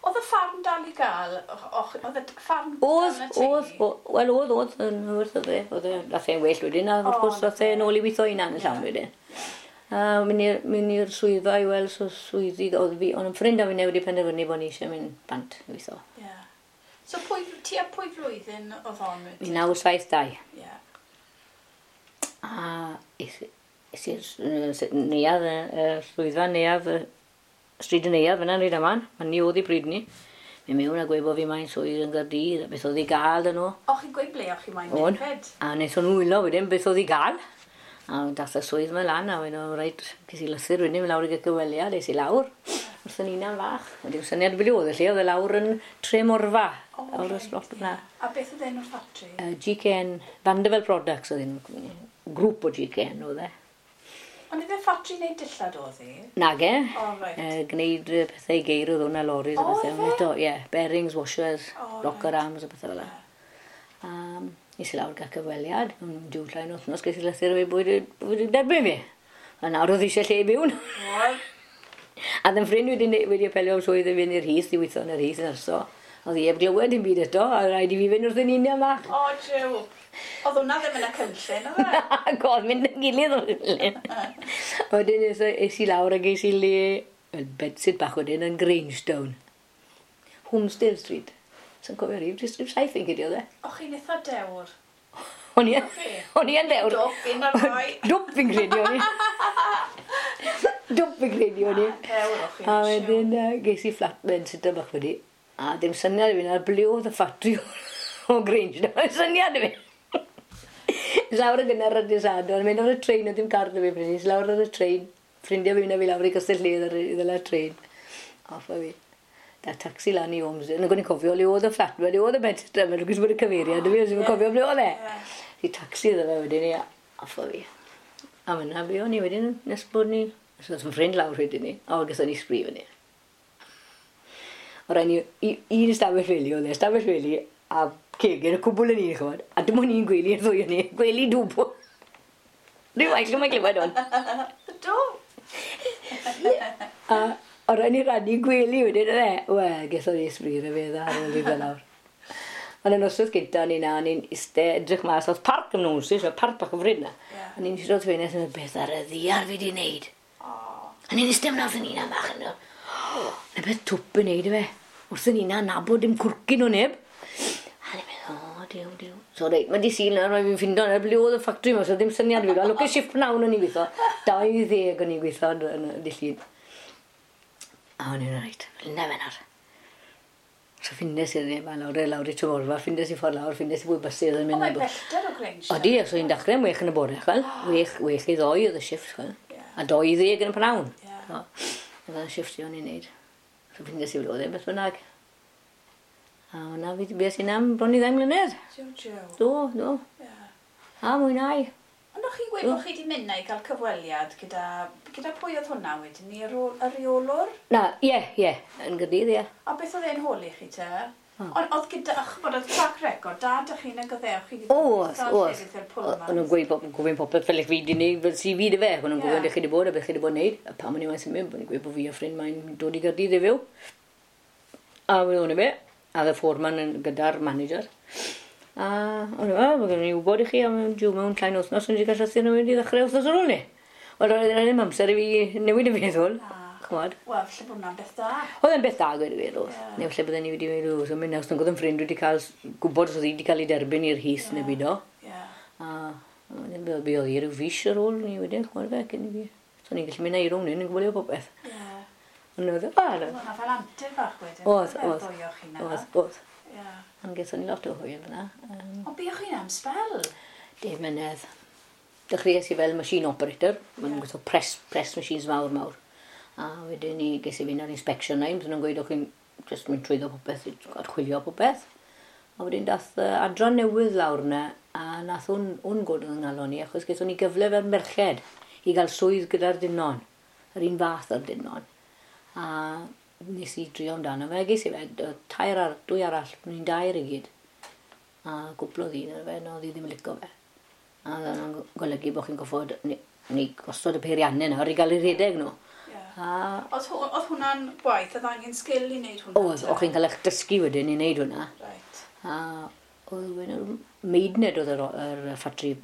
Oedd y ffarm dal i gael? Oedd y ffarm dal Oedd, yn y teulu? oedd, wel oedd, oedd, yn wrth oedd e, oedd e, nath e'n well wedyn, a wrth O, gwrs nath e nôl i weithio hunan yn llawn Ie. wedyn. A mynd i'r swyddfa i weld so swyddi, oedd fi, ond yn ffrind a fi wedi penderfynu bod ni eisiau mynd bant i weithio. Ie. So pwy, tua pwy flwyddyn oedd hon wedyn? 1972. Ie. A es i'r neuadd, y swyddfa neuadd, y stryd y neuadd fyna yn Rydaman, a ni oedd i bryd ni. Mynd mewn a gweud bod fi mae'n swydd yn Gaerdydd, a beth oedd i gael dyn nhw. O'ch chi'n gweud ble o'ch chi moyn O'n. mynd fyd? A wnaethon nhw wylo wedyn beth oedd i gael. A dath y swydd yma lan, a wedyn o, reit, ces i lythyr wedyn, mynd lawr i gael cyfweliad, es i lawr. Wrth yn unan fach. Ond dim syniad ble oedd y lle, oedd e lawr yn Tremorfa. O, Lawr y reit, slot ie. yna. A beth oedd enw'r ffatri? GKN, Vanderbilt Products oedd un grŵp o GKN oedd e. Ond ife ffatri neu dillad oedd hi? Nage. O, reit. Gwneud pethau i geir oedd hwnna, loris a O, pethau. ife? Eto, ie, bearings, washers, O, rocker reit. arms a pethau fel 'na. Nes i lawr gael cyfweliad, yn diw llai yn wythnos, ges i lythyr o fi bwyd wedi derbyn fi. A nawr oedd eisiau lle i byw. Oedd. A ddim ffrind wedi apelio am swydd i fynd i'r Heath, i weithio yn yr Heath yn yrso. Oedd hi heb glywed dim byd eto, a rhaid i fi fynd wrth yn union fach. O, jiw. Oedd hwnna ddim yn y cynllun, oedd e? Ac oedd mynd yn gilydd o'r cynllun. Wedyn es i lawr a ges i le, wel, bedsit bach wedyn yn Grangetown. Homestead Street. Sa'n cofio rhif, jyst rhif 7 fi'n credu oedd e. O, chi'n eitha dewr. O'n i o'n i yn dewr. Dwp, un o'r ddau. Dwp fi'n credu o'n i. Dwp fi'n credu o'n i. Dewr o chi. A wedyn ges i flat bedsitter bach wedi. A dim syniad i fi na ble oedd y ffatri o Grange. Dim syniad i fi. Es lawr yn gynnar ar dydd Sadwrn, mynd ar y trein, oedd dim car 'da fi pryd 'ny. Es lawr ar y trein, ffrindiau fi mynd â fi lawr i Castell Nedd ar i ddala trein. Off â fi. Da taxi lan i Ormsdale. Nag o'n i'n cofio le oedd y fflat, le oedd y bedsitter, mae'n lwcus bod y cyfeiriad, fi, os i'n cofio ble oedd e. I taxi iddo fe wedyn i, off â fi. A fyna fi o'n i wedyn, nes bod ni, so oedd fy ffrind lawr wedyn ni, a gathon ni sbri fyny. O rai ni, un ystafell wely oedd e, ystafell wely a cegin, y cwbl yn un, ch'mod. A dim ond un gwely y ddwy o'n ni, gwely dwbl. Rhyw waith, lle mae'n glywed hwn. Do. A o rai ni rannu gwely wedyn, oedd e? Wel, gathon ni sbri yn y fe dda ar ôl i fel lawr. Ond y noswaith gynta o'n i na, o'n i'n iste edrych mas, oedd parc yn nhw'n so parc bach o fryd na. Ie. O'n i'n eistedd wrth ffenest yn meddwl, beth ar y ddiar fi di wneud? O. O'n i'n eistedd fyna wrth yn unan bach yn meddwl, na beth twp yn neud i fe. Wrth yn unan nabod dim cwrcyn o neb. A ni'n meddwl, o, diw, diw. So reit, mae di Sul nawr, mae fi'n ffindo nawr, ble oedd y ffatri yma, so ddim syniad fi. A lwcus shift pnawn o'n i'n gweithio. 20 o'n i'n gweithio yn y dydd Llun. A o'n i'n reit, fel na fe nawr. So ffindes i'r neb, a lawr, lawr i Tremorfa, ffindes i ffordd lawr, ffindes i fwy bysydd yn O, mynd. mae'n bellter o Grange. Odi, so i'n dechrau am 6 yn y bore, chwel. 6:45 oedd y shift, chwel. Ie. A 20 yn y pnawn. Ie. So, oedd y shift i o'n i'n neud. So ffindes i fel oedd e, beth bynnag. A hwnna fi bues i'n am bron i 2 mlynedd. Jiw, jiw. Do, do. Ie. A mwynhau. Ond o'ch chi'n gweud bod chi wedi mynd na i gael cyfweliad gyda pwy oedd hwnna wedyn, ni y reolwr? Na, ie, ie, yn Gaerdydd, ie. A beth oedd e'n holi chi te? Ond oedd gyda, ach, bod oedd track record da dych chi'n y goddewch chi Oedd, oedd. O'n nhw'n gweud gofyn popeth fel eich fi di wneud, fel CV dy fe. O'n nhw'n gofyn lle chi di bod a beth chi di bod yn wneud. A pam o'n i moyn symud, o'n i'n gweud bod fi a ffrind mae'n dod i Gaerdydd i fyw. A wedyn o'n i fe, a oedd y foreman yn gyda'r manager. A o'n i, o, mae gen i wybod i chi am jiw mewn llain wythnos, o'n i wedi cael llythyr nhw wedi ddechrau wythnos ar ôl ni. Wel, oedd ddim amser i fi newid y feddwl, Na. ch'mod. Wel, falle bod hwnna'n beth da. Oedd e'n beth da gweud y gwir, oedd. Ie. Neu falle bydden ni wedi mynd, o, so mynd os nag oedd yn ffrind wedi cael gwybod os oedd hi wedi cael ei derbyn i'r Heath neu byd o. Ie. A wedyn be oedd hi ryw fis ar ôl ni wedyn, ch'mod fe, cyn i fi. So ni'n gallu mynd â i rownd hyn yn gwylio popeth. Ie. Ond oedd e, o, Oedd hwnna fel antur fach wedyn. Oedd, Fel oedd. ddwy o chi na. Oedd, oedd. Ie. Ond gaethon ni lot o hwyl fyna. Ond buoch chi'n am sbel? 10 mlynedd. Dechreuais i fel machine operator. Maen nhw'n gweithio press machines mawr, mawr. A wedyn ni ges i fynd ar inspection line. Bydden nhw'n gweud o'ch chi'n just mynd trwyddo popeth, archwilio popeth. A wedyn dath adran newydd lawr yna, a nath hwn god yn nghalon ni, achos gaethon ni gyfle fel merched i gael swydd gyda'r dynon, yr un fath o'r dynon. A nes i drio amdano fe, ges i fe, tair ar, dwy arall, ni'n dair i gyd. A gwplodd un ar fe, na oedd hi ddim yn licio fe. A oedd hwnna'n golygu bod chi'n goffod ni gosod y peiriannau nawr i gael eu rhedeg nhw. Ie. A Oedd hwnna'n gwaith, oedd angen sgil i wneud hwnna? oedd, o'ch chi'n cael eich dysgu wedyn i wneud hwnna. Right. A oedd wedyn, Maidenhead oedd yr ffatri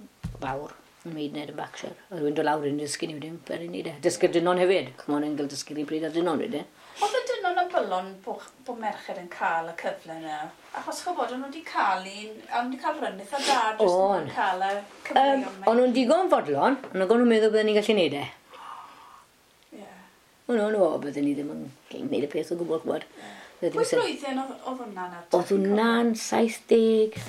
fawr, yn Maidenhead yn Berkshire. Oedd rhywun dod lawr yn dysgu ni wedyn, fel i ni de. Dysgu'r dynon hefyd, ch'mod, yn cael dysgu'r un pryd â'r dynon wedyn. Oedd y dynon yn bylon bod merched yn cael y cyfle yna? Achos ch'bod, o'n nhw wedi cael un, o'n nhw wedi cael run eitha da, jyst O'n. yn cael y cyfleon O'n nhw'n digon fodlon, ond o'n nhw'n meddwl bydden ni'n gallu neud e. Ie. O'n nhw'n, o, bydden ni ddim yn gallu neud y peth o gwbl, ch'mod. Bydde Pwy ddim sen- flwyddyn oedd hwnna nawr? Oedd hwnna'n 70...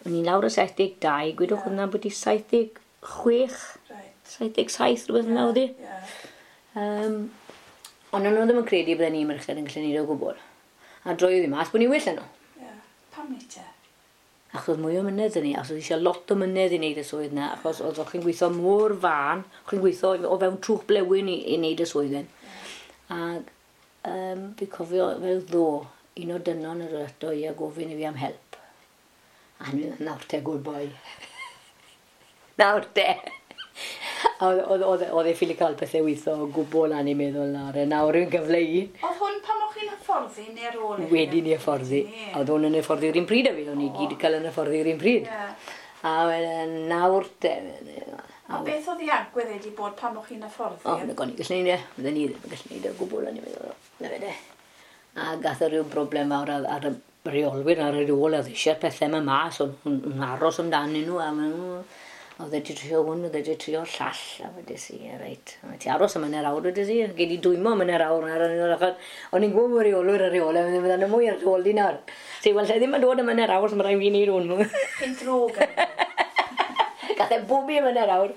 O'n i'n lawr o 72, gwedwch Ie. hwnna bod i 76, Right. 77, rhywbeth yna oedd hi. Ie. Ond o'n nhw ddim yn credu bydden ni merched yn gallu neud o gwbl. A droedd i mas bod ni'n well na nhw. Yeah. Pam ni te? Achos mwy o mynedd yn ni, achos oedd eisiau lot o mynedd i wneud y swydd na, achos oedd chi'n gweithio mor fan, chi'n gweithio o fewn trwch blewyn i wneud y swydd yn. Ac fi cofio fel ddo, un o dynon yr ato i a gofyn i fi am help. A hynny, nawr te, good boy. Nawr te. A oedd e ffili cael pethau weithio o gwbl a'n i'n meddwl nawr. Nawr yw'n gyfle i. Oedd hwn pan o'ch chi'n hyfforddi neu ar ôl i chi? Wedi ni hyfforddi. Oedd hwn yn hyfforddi yr un pryd a fi. O'n i gyd cael yn hyfforddi yr un pryd. A wedyn nawr te. A beth oedd ei agwedd wedi bod pan o'ch chi'n hyfforddi? O, na goni gallu neud e. Fydden ni ddim yn gallu neud e o gwbl o'n i'n meddwl. Na fe de. A gath e rhyw broblem fawr ar y reolwyr ar yr ôl a eisiau'r pethau yma mas, o'n nhw'n aros amdanyn nhw a oedd wedi trio hwn, oedd wedi trio llall, a wedes i, reit, ti aros am hanner awr, wedes i, gei di dwymo am hanner awr, o'n i'n gwybod bod reolwyr ar reol, a fyddan nhw mwy ar ôl di nawr. Si, wel, lle ddim yn dod am hanner awr, so mae rhaid fi wneud hwn. Chi'n ddrwg ar Gath e bob i am hanner awr.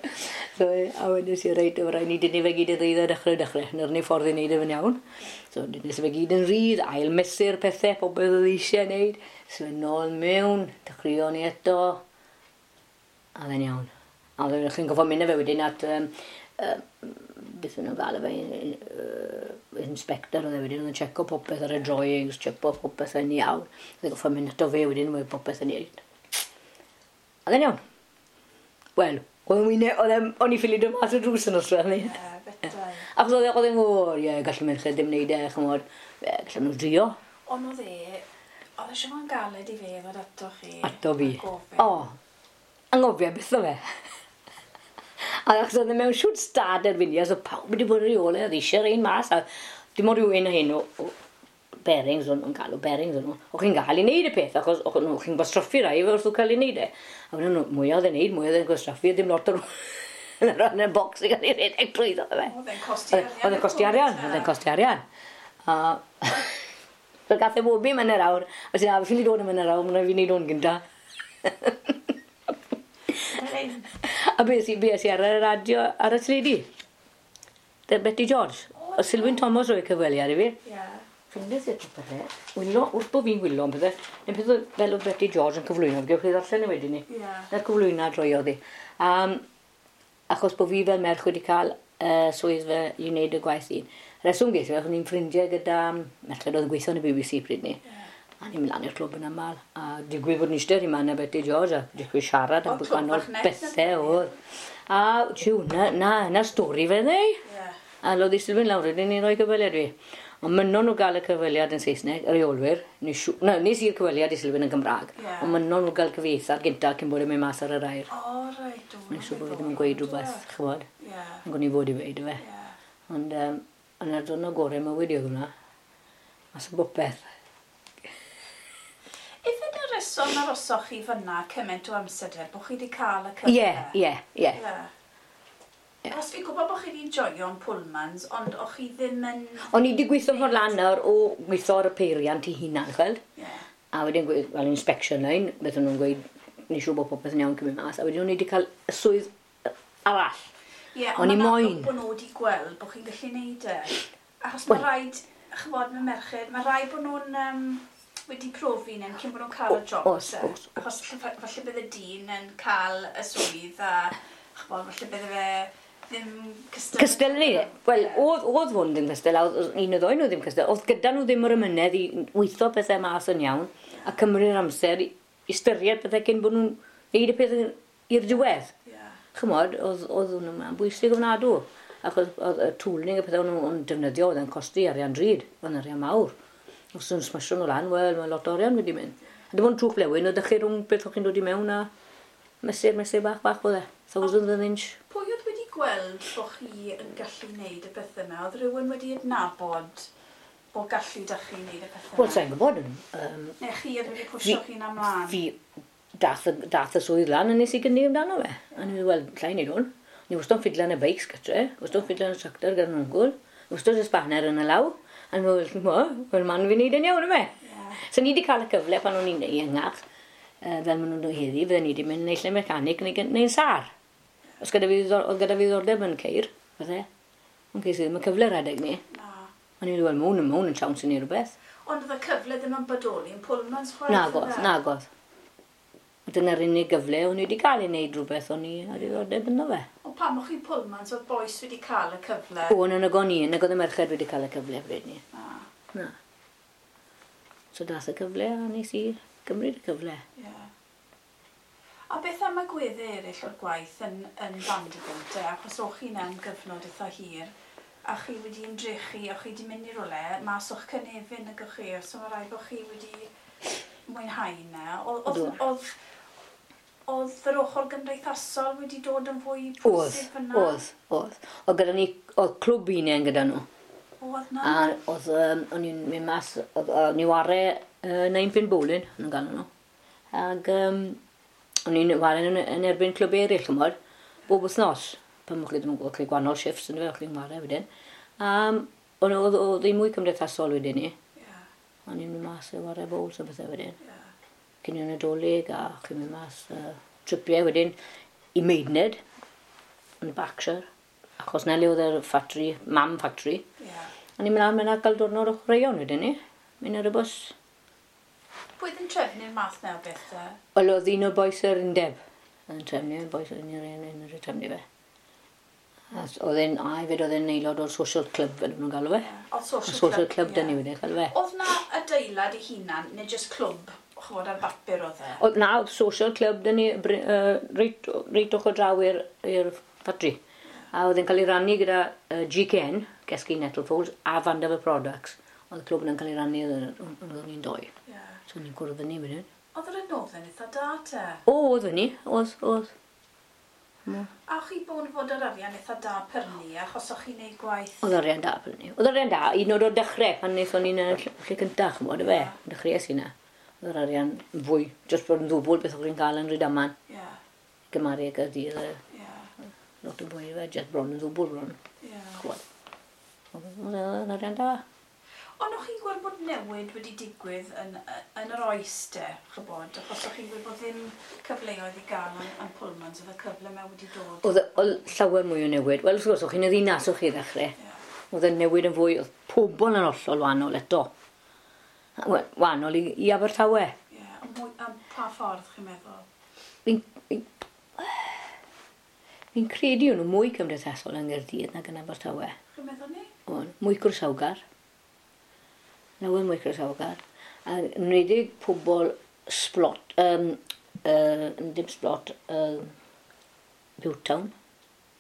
So, a wedes i, reit, o rhaid ni dynnu fe gyd yn rhydd a dechrau. Na'r unig ffordd i wneud e fe'n iawn. So, dynnu fe gyd yn rhydd, ail mesur pethau, popeth oedd eisiau wneud. So, nôl mewn, dechreuon ni eto. A fe'n iawn. A fe chi'n gofio mynd â fe wedyn at, beth o'n nhw'n gael e fe, inspector oedd e wedyn, oedd yn checo popeth ar y drawings, checo popeth yn iawn. Oedd e'n gofio mynd ato fe wedyn, oedd popeth yn iawn. A fe'n iawn. Wel, o'n i ffili dod mas o drws yn osod ni. Ie, betai. Achos oedd e'n gwybod, ie, gallu merched ddim wneud e, ch'mod, gallen nhw drio. Ond oedd e, oedd e siŵr yn galed i fe ddod ato chi. Ato fi. O, anghofio beth o fe. A achos oedd e mewn siwt stad erbyn ni, so pawb wedi bod ar ei ôl e, oedd eisiau'r un mas, a dim ond rhywun o hyn o bearings, o'n nhw'n galw bearings o'n nhw. O'ch chi'n gael i wneud y peth, achos o'ch chi'n gwastraffu rai wrth cael ei wneud e. A wedyn nhw, mwy oedd e'n wneud, mwy oedd e'n gwastraffu, ddim lot o'r yn y bocs i gael ei redeg trwyddo fe. Oedd e'n costi arian. Oedd e'n costi arian, oedd e'n costi arian. A so gath e bob un yn yr awr, a sy'n a fi'n dod am yn yr awr, mae'n rhaid fi wneud hwn gynta. A beth i ar y radio, ar y teledu? Betty George. O Sylwyn Thomas roedd cyfweliad i fi. Ie. Ffindes i'r pethau. Wylo, wrth bod fi'n wylo am pethau, neu peth fel oedd Betty George yn cyflwyno, gewch chi ddarllen e wedyn ni. Ie. Na'r cyflwyno droiodd hi. Achos bod fi fel merch wedi cael swydd fe i wneud y gwaith un. Reswm ges i, achos ni'n ffrindiau gyda merched oedd yn gweithio yn y BBC pryd ni. A ni'n mynd lan i'r clwb yn aml. A digwydd bod ni eistedd i man a Betty George a digwydd siarad am gwahanol bethau oedd. A tiw, na stori fe ddeu. A lodd i Sylwyn lawr wedyn ni'n rhoi cyfweliad fi. Ond mynnon nhw gael y cyfweliad yn Saesneg, y reolwyr. Nes i'r cyfweliad i Sylwyn yn Gymraeg. Ond mynnon nhw gael cyfieithiad gynta cyn bod e'n mynd mas ar yr air. O, reit. Nes siŵr bod fi ddim yn gweud rhywbeth, ch'mod. Yn gwni fod i weud, yfe. Ond yna'r diwrnod gorau mywyd i oedd hwnna. Mas o bopeth. Ife na reswm arosoch chi fyna cymaint o amser te, bod chi wedi cael y cyfle? Ie, ie, ie. Os fi'n gwybod bod chi wedi joio'n Pullmans, ond o'ch chi ddim yn... O'n i wedi gweithio ffordd lan nawr o gweithio ar y peiriant i hunan, chweld? Ie. A wedyn fel inspection line, beth o'n nhw'n gweud, ni siŵr bod popeth yn iawn cyn mynd mas, a wedyn o'n i wedi cael y swydd arall. Ie, ond mae'n amlwg bod nhw wedi gweld bod chi'n gallu neud e. Achos mae rhaid, ch'mod, mae merched, mae rhaid bod nhw'n wedi profi nhw'n cyn bod nhw'n cael y job. Os. Achos falle bydd y dyn yn cael y swydd a ch'mod, falle bydde fe ddim cystal. Cystal ni? Wel, oedd hwn ddim cystal, a oedd un o ddoi nhw ddim cystal. Oedd gyda nhw ddim yr ymynedd i weithio pethau mas yn iawn a cymryd amser i ystyried pethau cyn bod nhw'n neud y peth i'r diwedd. Ch'mod, oedd hwn yma'n bwysig ofnadw. Achos oedd y tooling y pethau nhw'n defnyddio, oedd yn costi arian drud, oedd yn arian mawr. Os nhw'n smasho nhw lan, wel, mae lot o arian wedi mynd. A dim ond trwch blewyn, oedd chi rhwng beth o'ch chi'n dod i mewn a mesur bach bach oedd e. Thousand an inch. Pwy oedd wedi gweld bod chi yn gallu wneud y pethau yma? Oedd rhywun wedi adnabod bod gallu da chi wneud y pethau yma? Wel, sa'n gwybod. Neu chi oedd wedi pwysio chi'n amlaen? Fi dath y swydd lan a nes i gynnig amdano fe. A ni wel, llai wneud hwn. Ni wastad yn ffidlan y beics gytre, wastad yn ffidlan y tractor gyda'n wngwl, wastad y spanner yn y law. A ni'n meddwl, wel, man fi'n neud yn iawn yma. So ni wedi cael y cyfle pan o'n i'n iengach, fel maen nhw'n dod heddi, fydden ni wedi mynd naill ai'n mecanic neu'n sâr. Os gyda fi, oedd gyda fi ddiddordeb yn ceir, fydde. Ond ces i ddim y cyfle rhedeg ni. Na. O'n i'n meddwl, mae hwn yn siawns i ni rhywbeth. Ond oedd y cyfle ddim yn bodoli yn Pullman's chwaith? Nagodd, nagodd. Dyna'r unig gyfle o'n i wedi cael ei wneud rhywbeth o'n i a diddordeb ynddo fe. Ond pam o'ch chi'n Pullman's, oedd bois wedi cael y cyfle? O, na nag o'n i, nag oedd y merched wedi cael y cyfle bryd ni. Na. So dath y cyfle a nes i gymryd y cyfle. Yeah. A beth am agweddau eraill o'r gwaith yn Vanderbilt, e? Achos o'ch chi 'na am gyfnod eitha hir, a chi wedi ymdrechu, o'ch chi wedi mynd i rywle, mas o'ch cynefin nag o'ch chi, so mae rhaid bod chi wedi mwynhau 'na. Oedd yr ochr gymdeithasol wedi dod yn fwy pwysig fyna? Oedd, oedd. Oedd gyda ni, oedd clwb unen gyda nhw. Oedd na? A oedd, o'n i'n mynd mas, o'n i ware 9 pin bowling, o'n nhw'n galw nhw. Ac o'n i'n ware yn erbyn clwb eraill, ch'mod, bob wythnos. Pan o'ch chi ddim yn gwybod, chi gwahanol shifts yn fe, o'ch chi'n ware wedyn. Ond oedd hi'n mwy cymdeithasol wedyn ni. O'n i'n mynd mas i ware bowls a bethau wedyn. Cinio Nadolig a chi'n mynd mas tripiau wedyn i Maidenhead yn Berkshire. Achos na le oedd yr factory, mam factory. O'n i'n mynd lan a gael diwrnod o chwaraeon wedyn ni. Mynd ar y bws. Pwy oedd yn trefnu'r math 'na o beth te? Wel, oedd un o'r bois yr undeb yn trefnu, bois yr undeb yn trefnu fe. A oedd e'n, a hefyd oedd e'n aelod o'r social club, fel nhw'n galw fe. Oedd social, social club, club dyn ni wedi, galw fe. Oedd na adeilad ei hunan, neu just clwb, ch'mod, ar bapur oedd e? Oedd na, oedd social club dyn ni, reit ochr draw i'r ffatri. A oedd e'n cael ei rannu gyda GKN, Geski Nettlefolds, a Vanderbilt Products. Oedd y clwb yna'n cael ei rannu, oedd ni'n doi. So ni'n cwrdd ni wedyn. Oedd yr adnoddau'n eitha da te? O, oedd ni, oedd. A o'ch chi bod fod yr arian eitha da prynu, achos o'ch chi'n neud gwaith? Oedd arian da prynu. Oedd arian da, un o'r dechrau, pan wnaethon ni'n y lle cyntaf, ch'mod, y fe. Dechreuais i na. Oedd yr arian fwy, jyst bod yn ddwbl beth o'ch chi'n cael yn Rhydaman. Gymaru ag Gaerdydd, lot o fwy, fe, jyst bron yn ddwbl bron. Ch'mod. Oedd yn arian da. Ond o'ch chi'n gweld bod newid wedi digwydd yn yr oes de, ch'bod, achos o'ch chi'n gweld bod ddim cyfleoedd i gael yn Pullman's, oedd y cyfle yma wedi dod? Oedd llawer mwy o newid. Wel, wrth gwrs, o'ch chi'n y ddinas o'ch chi ddechrau. Oedd y newid yn fwy, oedd pobl yn hollol wahanol eto. Wel, wahanol i Abertawe. Ie, am pa ffordd chi'n meddwl? Fi'n credu o'n nhw mwy cymdeithasol yng Nghaerdydd nag yn Abertawe. Chi'n meddwl ni? O'n, mwy croesawgar. Lawer mwy croesawgar. A yn enwedig pobl Splott, dim Splott, Butetown,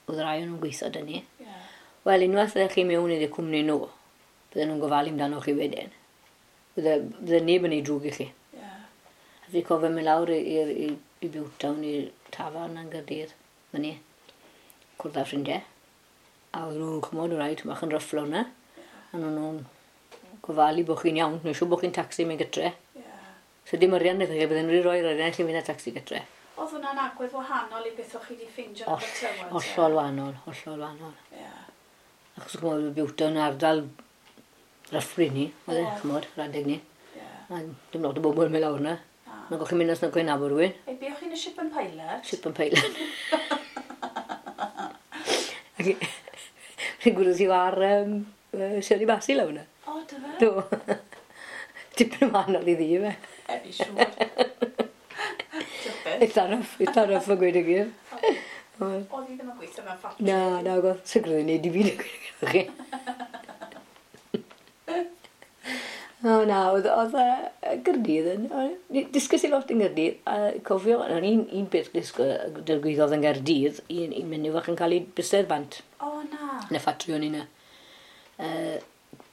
oedd rai o'n nhw'n gweithio dyn ni. Wel, unwaith ydych chi mewn i'r cwmni nhw, bydden nhw'n gofalu amdano chi wedyn. Bydde neb yn ei drwg i chi. A fi cofio mynd lawr i Butetown, i'r tafarn yn Gaerdydd, fyny, cwrdd â ffrindiau. A oedd nhw'n ch'mod, rhaid, bach yn ryfflo yna. A nhw'n gofalu bod chi'n iawn, neu siŵr bod chi'n taxi mynd gytre. So dim arian iddo chi, bydden nhw wedi rhoi'r arian i chi fynd â taxi gytre. Oedd hwnna'n agwedd wahanol i beth o'ch chi wedi ffeindio yn Abertawe? Hollol wahanol, hollol wahanol. Achos ch'mod, Butetown yn ardal ryffryn ni, oedd e, ch'mod, yr adeg ni. A dim lot o bobl yn mynd lawr yna. Nag o'ch chi'n mynd os nag o'ch chi'n nabod rhywun. Ei, be o'ch chi'n y Ship and Pilot? Ship and Pilot. Fi'n gwrdd i war Shirley Bassey lawr yna. O, dy fe? Do. Tipyn yn wahanol i ddi, fe. E, fi siŵr. Diolch. Eitha rough yn gweud y gwir. Oedd hi ddim yn gweithio mewn ffatri? Na, na, oedd. Sicr oedd hi'n neud i fi, dwi'n gweud chi. O, na, oedd Gaerdydd yn... Disgys i lot yn Gaerdydd, a cofio, o'n un beth digwyddodd yn Gaerdydd, un menyw fach yn cael ei bysedd bant. O, na. Yn y ffatri o'n i na.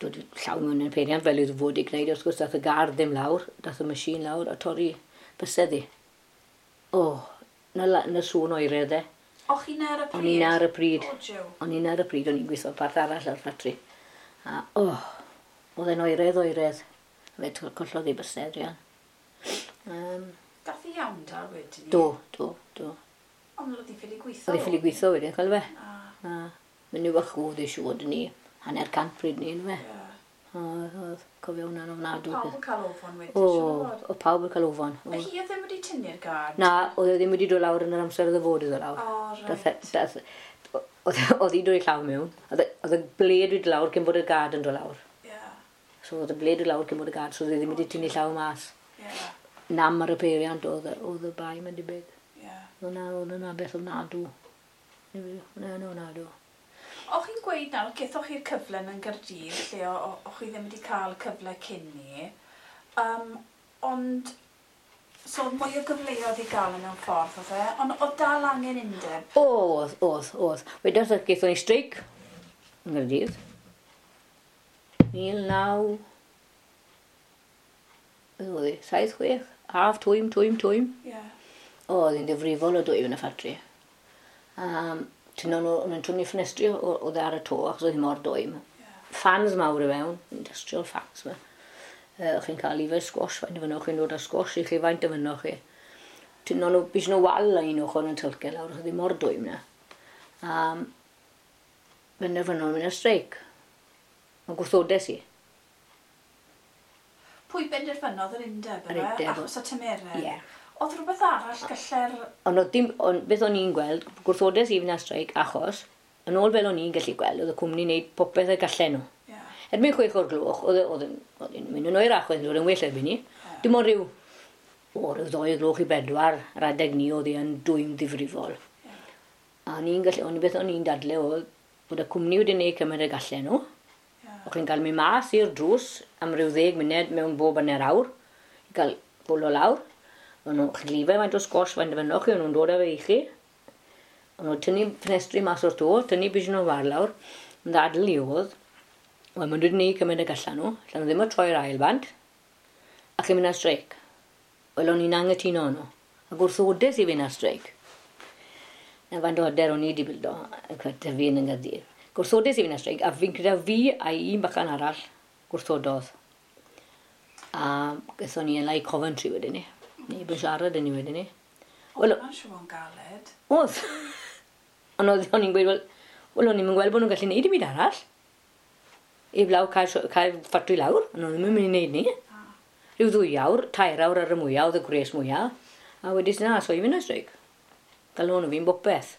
Dod llaw mewn yn peiriant fel iddo fod i gwneud, wrth gwrs, dath y gar ddim lawr, dath y machine lawr a torri bysedd i. O, na sŵn oeredd e. O, chi'n ar y pryd? O'n i'n ar y pryd. O, jiw. O'n i'n ar y pryd, o'n i'n gweithio parth arall ar ffatri. A, o, oedd e'n oeredd. Fe collodd ei bysedd, Rian. Gath i iawn da wedyn? Do. Ond oedd hi ffili gweithio? Oedd hi ffili gweithio wedyn, cael fe. A, menyw fach oedd ei siŵr ni, 150 pryd ni, yn fe. Oedd, cofio hwnna'n ofnadwy. Pawb yn cael ofon wedyn, siŵr? O, pawb yn cael ofon. A hi oedd ddim wedi tynnu'r gard? Na, oedd e ddim wedi dod lawr yn yr amser oedd e fod iddo lawr. O, reit. Oedd hi'n dod i llaw mewn. Oedd y bled wedi lawr cyn bod y gard yn dod lawr. So oedd y blade o lawr cyn bod y gad, so oedd e ddim wedi tynnu llaw mas. Nam ar y peiriant oedd y bai, mae'n debyg. Oedd hwnna beth ofnadw. Hwnna'n ofnadw. O'ch chi'n gweud nawr, gethoch chi'r cyfle yn Gaerdydd, lle o'ch chi ddim wedi cael cyfle cyn ni, ond so mwy o gyfleoedd i gael yn mewn ffordd, oedd e? Ond oedd dal angen undeb? Oedd. Wedyn gethon ni streic yng Nghaerdydd. 19... Beth oedd hi? 76? Haf, twym, twym, twym. Ie. Oedd hi'n ddifrifol o dwym yn y ffatri. Tynnon nhw, o'n nhw'n tynnu ffenestri oedd ar y to, achos oedd hi mor dwym. Fans mawr i fewn, industrial fans ma. Chi'n cael ife squash, faint o fynnoch chi'n dod â squash i chi, faint o fynnoch chi. Tynnon nhw, bys nhw wal yn un ochr yn tylce lawr, achos oedd hi mor dwym na. Benderfynon mynd ar streic. Ond gwrthodes i. Pwy benderfynodd yr undeb Yr yma? undeb. Achos y tymeredd? Ie. Oedd rhywbeth arall galle'r... Ond oedd dim, ond beth o'n i'n gweld, gwrthodes i fynd ar streic, achos, yn ôl fel o'n i'n gallu gweld, oedd y cwmni'n neud popeth y gallen nhw. Erbyn 6 o'r gloch, oedd hi'n mynd yn oerach, oedd hi'n dod yn well erbyn ni. Dim ond rhyw 2 gloch i 4, yr adeg ni oedd hi yn dwym ddifrifol. A ni'n gallu, ond beth o'n i'n dadle oedd bod y cwmni wedi neud cymaint y gallen nhw. O'ch chi'n cael mynd mas i'r drws am ryw 10 munud mewn bob hanner awr, i gael bwlo lawr. O'n nhw'n chlife faint o sgos, faint o fynnoch chi, o'n nhw'n dod â fe i chi. O'n nhw'n tynnu ffenestri mas o'r to, tynnu bys nhw'n far lawr. Yn ddadl i oedd, wel, maen nhw wedi gwneud cymaint y gallan nhw, allan nhw ddim o troi'r ail bant, a chi'n mynd ar streic. Wel, o'n i'n angytuno nhw, a gwrthodes i fynd ar streic. Na faint o hyder o'n i wedi bildo, tyfu yn Nghaerdydd. Gwrthodes i fynd ar streic, a fi'n credu fi a un bachan arall gwrthododd. A gaethon ni yn lai Coventry wedyn ni. Neb yn siarad yn ni wedyn ni. Oedd hwnna'n siŵr o'n galed. Oedd. Ond oedd o'n i'n gweud, wel, o'n i'n gweld bod nhw'n gallu neud dim byd arall. Heblaw cael ffatri lawr, ond o'n nhw'n mynd i wneud ni. Rhyw 2 awr, 3 awr ar y mwyaf, oedd y gwres mwyaf. A wedys na, so i fynd ar streic. Galw nhw fi'n bopeth.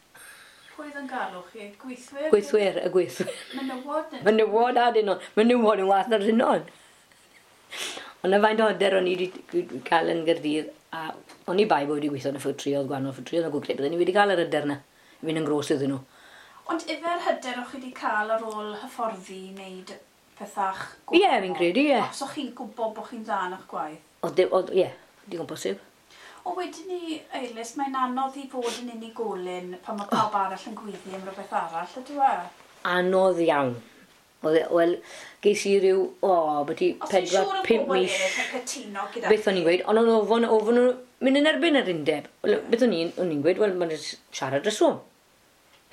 Pwy oedd yn galw chi? Gweithwyr? Gweithwyr, y gweithwyr. Menywod? Menywod a dynon. Menywod yn wath na'r dynon. Ond y faint o hyder o'n i wedi cael yn Gaerdydd, a o'n i bai bod wedi gweithio yn y ffatri, oedd gwahanol ffatri, oedd yn gwybod, bydden ni wedi cael yr hyder na, i fynd yn gros iddyn nhw. Ond ife'r hyder o'ch chi wedi cael ar ôl hyfforddi i wneud pethach Ie, fi'n credu, ie. Os o'ch chi'n gwybod bod chi'n dda yn eich gwaith? Oedd, ie, digon posib. O wedyn ni, Eilis, mae'n anodd i fod yn unigolyn pan mae pawb arall yn gweiddi am rhywbeth arall, ydyw e? Anodd iawn. Wel, ges i ryw, byti Os ti'n 4, siŵr o 5 bobl mis. eraill yn cytuno gyda Beth o'n i'n gweud, ond o'n ofon nhw mynd yn erbyn yr undeb. Wel, beth o'n i'n gweud, wel, mae'n siarad reswm.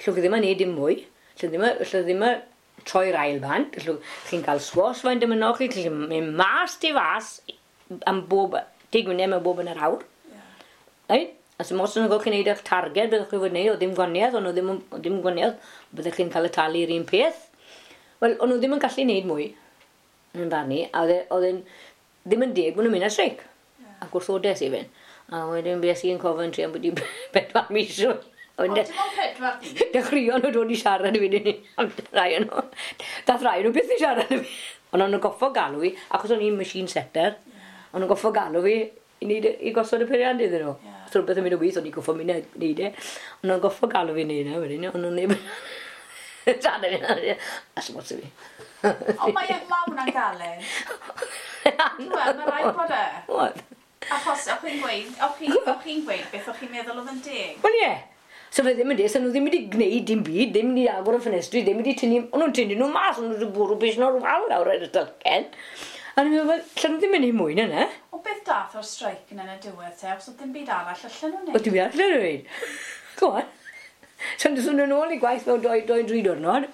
Allwch chi ddim yn neud dim mwy, allwch ddim yn troi'r ail bant, allwch chi'n cael sgos faint ym chi, allwch chi'n mynd mas tu fas am bob, 10 munud mewn bob yn yr awr. Right? A sy'n mos yn gwybod chi'n neud eich targed, byddwch chi fod wneud, oedd ddim gwaniaeth, ond oedd ddim gwaniaeth, byddwch chi'n cael y talu i'r un peth. Wel, o'n nhw ddim yn gallu neud mwy yn barn i, a oedd e'n ddim yn deg bod nhw'n mynd ar streic. A gwrthodes i fynd. A wedyn bues i yn Coventry am byti 4 mis. Ond dim ond 4 mis? Dechreuon nhw dod i siarad i fi, am rai o'n nhw. Dath rai nhw byth i siarad i fi. Ond o'n nhw'n goffo galw fi, achos o'n i'n machine setter, o'n nhw'n goffo galw fi i neud i gosod y peiriant iddyn nhw. Os rhywbeth yn mynd o waith, o'n i'n goffo mynd a neud e. Ond o'n goffo galw fi neud e wedyn, ond o'n neb... Siarad i fi, a sy'n i fi. Ond mae hwnna'n galed. Wel, mae rhaid bod e. Oedd. Achos, o'ch chi'n gweud beth o'ch chi'n meddwl oedd yn deg? Wel, ie. So fe ddim yn deg, so nhw ddim wedi gwneud dim byd, ddim wedi agor y ffenestri, ddim wedi tynnu, o'n nhw'n tynnu nhw mas, o'n nhw wedi bwrw bys nhw'r wal lawr ar y tylcen. A ni'n meddwl, wel, allan nhw ddim yn ei mwy na na. O beth dath o'r streic yna yn y diwedd te, achos oedd dim byd arall allan nhw'n neud? O, dim byd arall allan nhw'n neud. Go on. So nhw'n ôl i gwaith mewn 2-3 diwrnod.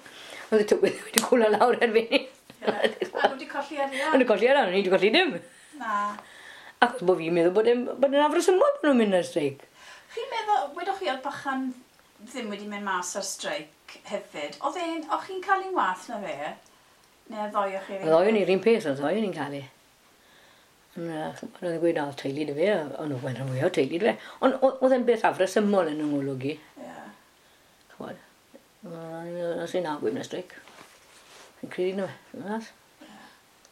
Oedd y tywydd wedi cwla lawr erbyn ni. A nhw wedi colli arian? O'n nhw colli arian, o'n i wedi colli dim. Na. Achos bod fi'n meddwl bod e'n afresymol bod nhw'n mynd ar streic. Chi'n meddwl, wedoch chi oedd bachan ddim wedi mynd mas ar streic hefyd. Oedd o'ch chi'n cael un wath na fe? Neu ddoi o'ch chi'n... Ddoi o'n i'r un peth, oedd ddoi o'n i'n cael ei. Ond oedd e'n gweud, na, oedd teulu dy fe, ond oedd e'n fwy o teulu dy fe. Ond oedd e'n beth afresymol yn yng ngolwg i. Ie. Ch'mod, os i'n agwyd na streic. Fi'n credu na fe, nas.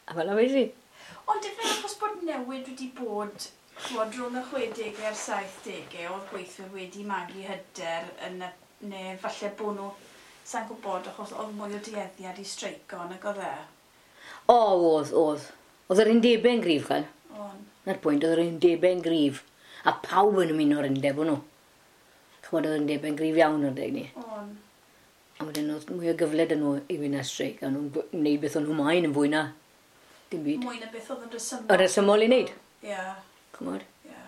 A fel 'na wedes i. Ond ife achos bod newid wedi bod, ch'mod, rhwng y 60au a'r 70au, oedd gweithwyr wedi magu hyder yn y, neu falle bod nhw, sa'n gwybod, achos oedd mwy o dueddiad i streico nag oedd e? O, oedd, oedd. Oedd yr undebau'n gryf, chal. O'n. Na'r pwynt, oedd yr undebau'n gryf. A pawb yn ymuno o'r undeb o'n nhw. Ch'mod, oedd yr undebau'n gryf iawn o'r deg ni. O'n. A wedyn oedd mwy o gyfle 'da nhw i fynd ar streic, a nhw'n gwneud beth o'n nhw moyn yn fwy na dim byd. Mwy na beth oedd yn rhesymol. Yn rhesymol i wneud. Ie. Ch'mod? Ie.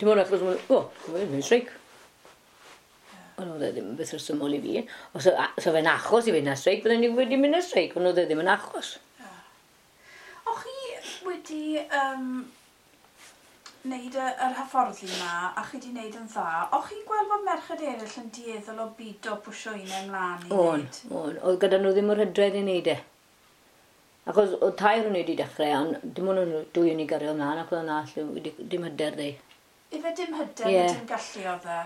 Dim ond achos, o, mae'n streic. Ond oedd e ddim yn beth rhesymol i fi. Os o fe'n achos i fynd ar streic, bydden ni wedi mynd ar streic, ond oedd e ddim yn achos. Ie. O'ch chi wedi wneud yr hyfforddi yma, a chi wedi wneud yn dda, o'ch chi'n gweld bod merched eraill yn dueddol o bido pwsio un ymlaen i O'n, wneud? o'n. Oedd gyda nhw ddim yr hyder i wneud e. Achos oedd tair o'n wedi dechrau, ond dim ond nhw dwy o'n i gario ymlaen, ac oedd yna wedi dim hyder ddi. Ife dim hyder Ie. yeah. dim gallu oedd e?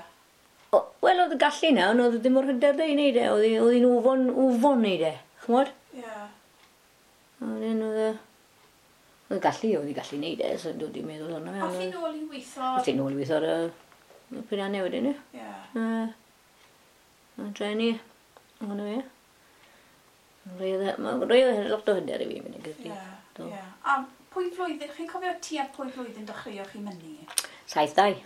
Wel, oedd y gallu na, ond oedd ddim o'r hyder ddi i wneud e. Oedd hi'n ofon wneud e, ch'mod? Ie. Yeah. A wedyn oedd e... Oedd y gallu, oedd hi'n gallu wneud e, so dod i'n meddwl arno fe. O'ch chi'n nôl i weithio? Oedd hi'n nôl i weithio ar y peiriannau wedyn, ie. Ie. A treni, ond fe. Mae rhoi oedd lot o hyder i fi mynd i Gaerdydd. Ie. Do. Ie. A pwy flwyddyn, chi'n cofio tua pwy flwyddyn dechreuoch chi mynnu? 72.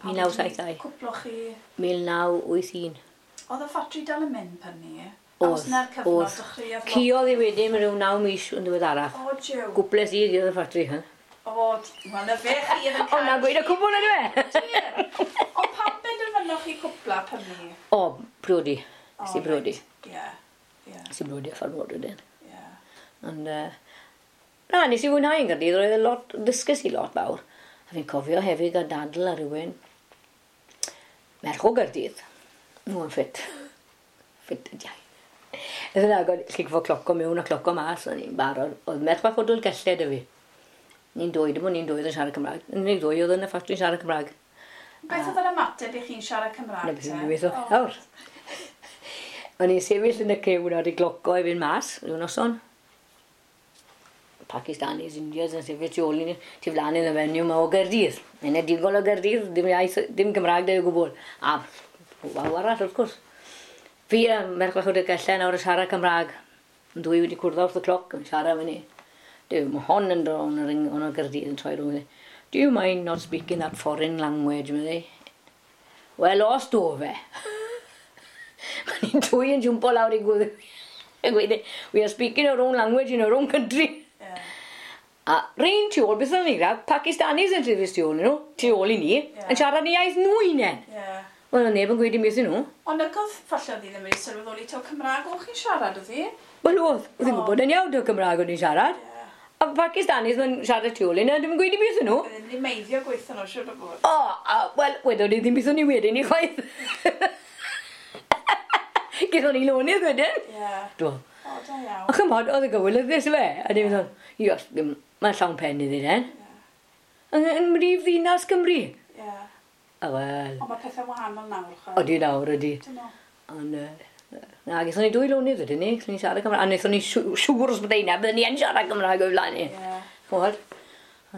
1972. Cwploch chi... 1981. Oedd y ffatri dal yn mynd pan ni? Oedd, Os na'r cyfnod oedd. dechreuodd lot- Cuodd i wedyn rhyw 9 mis yn ddiweddarach. O, jiw. Gwples i oedd y ffatri. Huh? O, wel, na fe chi oedd yn O, na gweud y cwbl ydw e? Ie. Ond pam benderfynoch chi cwpla pan ni? O, priodi. Nes i briodi. Ie. Ie. Nes i briodi a ffordd wedyn. Ie. Ond, na, nes i fwynhau yn Gaerdydd, roedd e lot, ddysges i lot fawr. A fi'n cofio hefyd gael dadl ar rhywun, merch o Gaerdydd. Nhw yn ffit. Ffit y diau. Oedd yna, chi'n gwybod cloco mewn a cloco mas, o'n i'n barod. Oedd merch bach o Dolgellau 'da fi. Ni'n dwy, dim ond ni'n dwy oedd yn siarad Cymraeg. Yn unig ddwy oedd yn y ffatri yn siarad Cymraeg. Beth oedd yr ymateb i chi'n siarad Cymraeg Na beth te? yw'n gweithio. O. Nawr. O'n i'n sefyll yn y cew nawr i gloco i fynd mas, rhyw noson. Pakistanis, Indians yn sefyll tu ôl i ni, tu flaen i'n y fenyw yma o Gaerdydd. Enedigol o Gaerdydd, dim iaith, dim Cymraeg da o gwbl. A waw arall, wrth gwrs. Fi a merch bach o Dolgellau nawr yn siarad Cymraeg. Yn dwy wedi cwrdd wrth y cloc yn siarad fyny. Duw, mae hon yn dod o'n o'n o Gaerdydd yn troi rhwng. Do you mind not speaking that foreign language, meddai. Wel, os do fe. Mae ni'n dwy yn jwmpo lawr i gwddw. Yn gweud, we are speaking our own language in our own country. Ie. A rein tu ôl, beth o'n ni gyda, Pakistanis yn trefus tu ôl i nhw, tu ôl i ni, yn siarad ni iaith nhw unen. Ie. Wel, oedd neb yn gweud dim beth i nhw. Ond nag oedd, falle oedd hi ddim wedi sylweddoli taw Cymraeg o'ch chi'n siarad oedd hi? Wel, oedd, oedd hi'n O. gwybod yn iawn taw Cymraeg o'n i'n siarad. Ie. A Pakistanis yn siarad tu ôl i ni, a ddim yn gweud dim beth i nhw. Oedd ddim wedi meiddio gweithio nhw, siwr o fod. O, a, wel, wedon ni ddim beth o'n i wedyn i chwaith. Gaethon ni lonydd wedyn. Ie. Do. O, da iawn. A chymod, oedd y gywilyddus fe. A ni'n meddwl, ios, mae'n llawn pen iddi den. Yn mrif ddinas Cymru. Ie. A wel, Ond mae pethau wahanol nawr, chwa. odi nawr, odi. Dyn nhw. Ond, na, gaethon ni dwy lonydd wedyn ni, gaethon ni siarad Cymraeg. A wnaethon ni siŵr os byddai na, byddwn ni yn siarad Cymraeg o'i flaen ni. Ie. Chymod?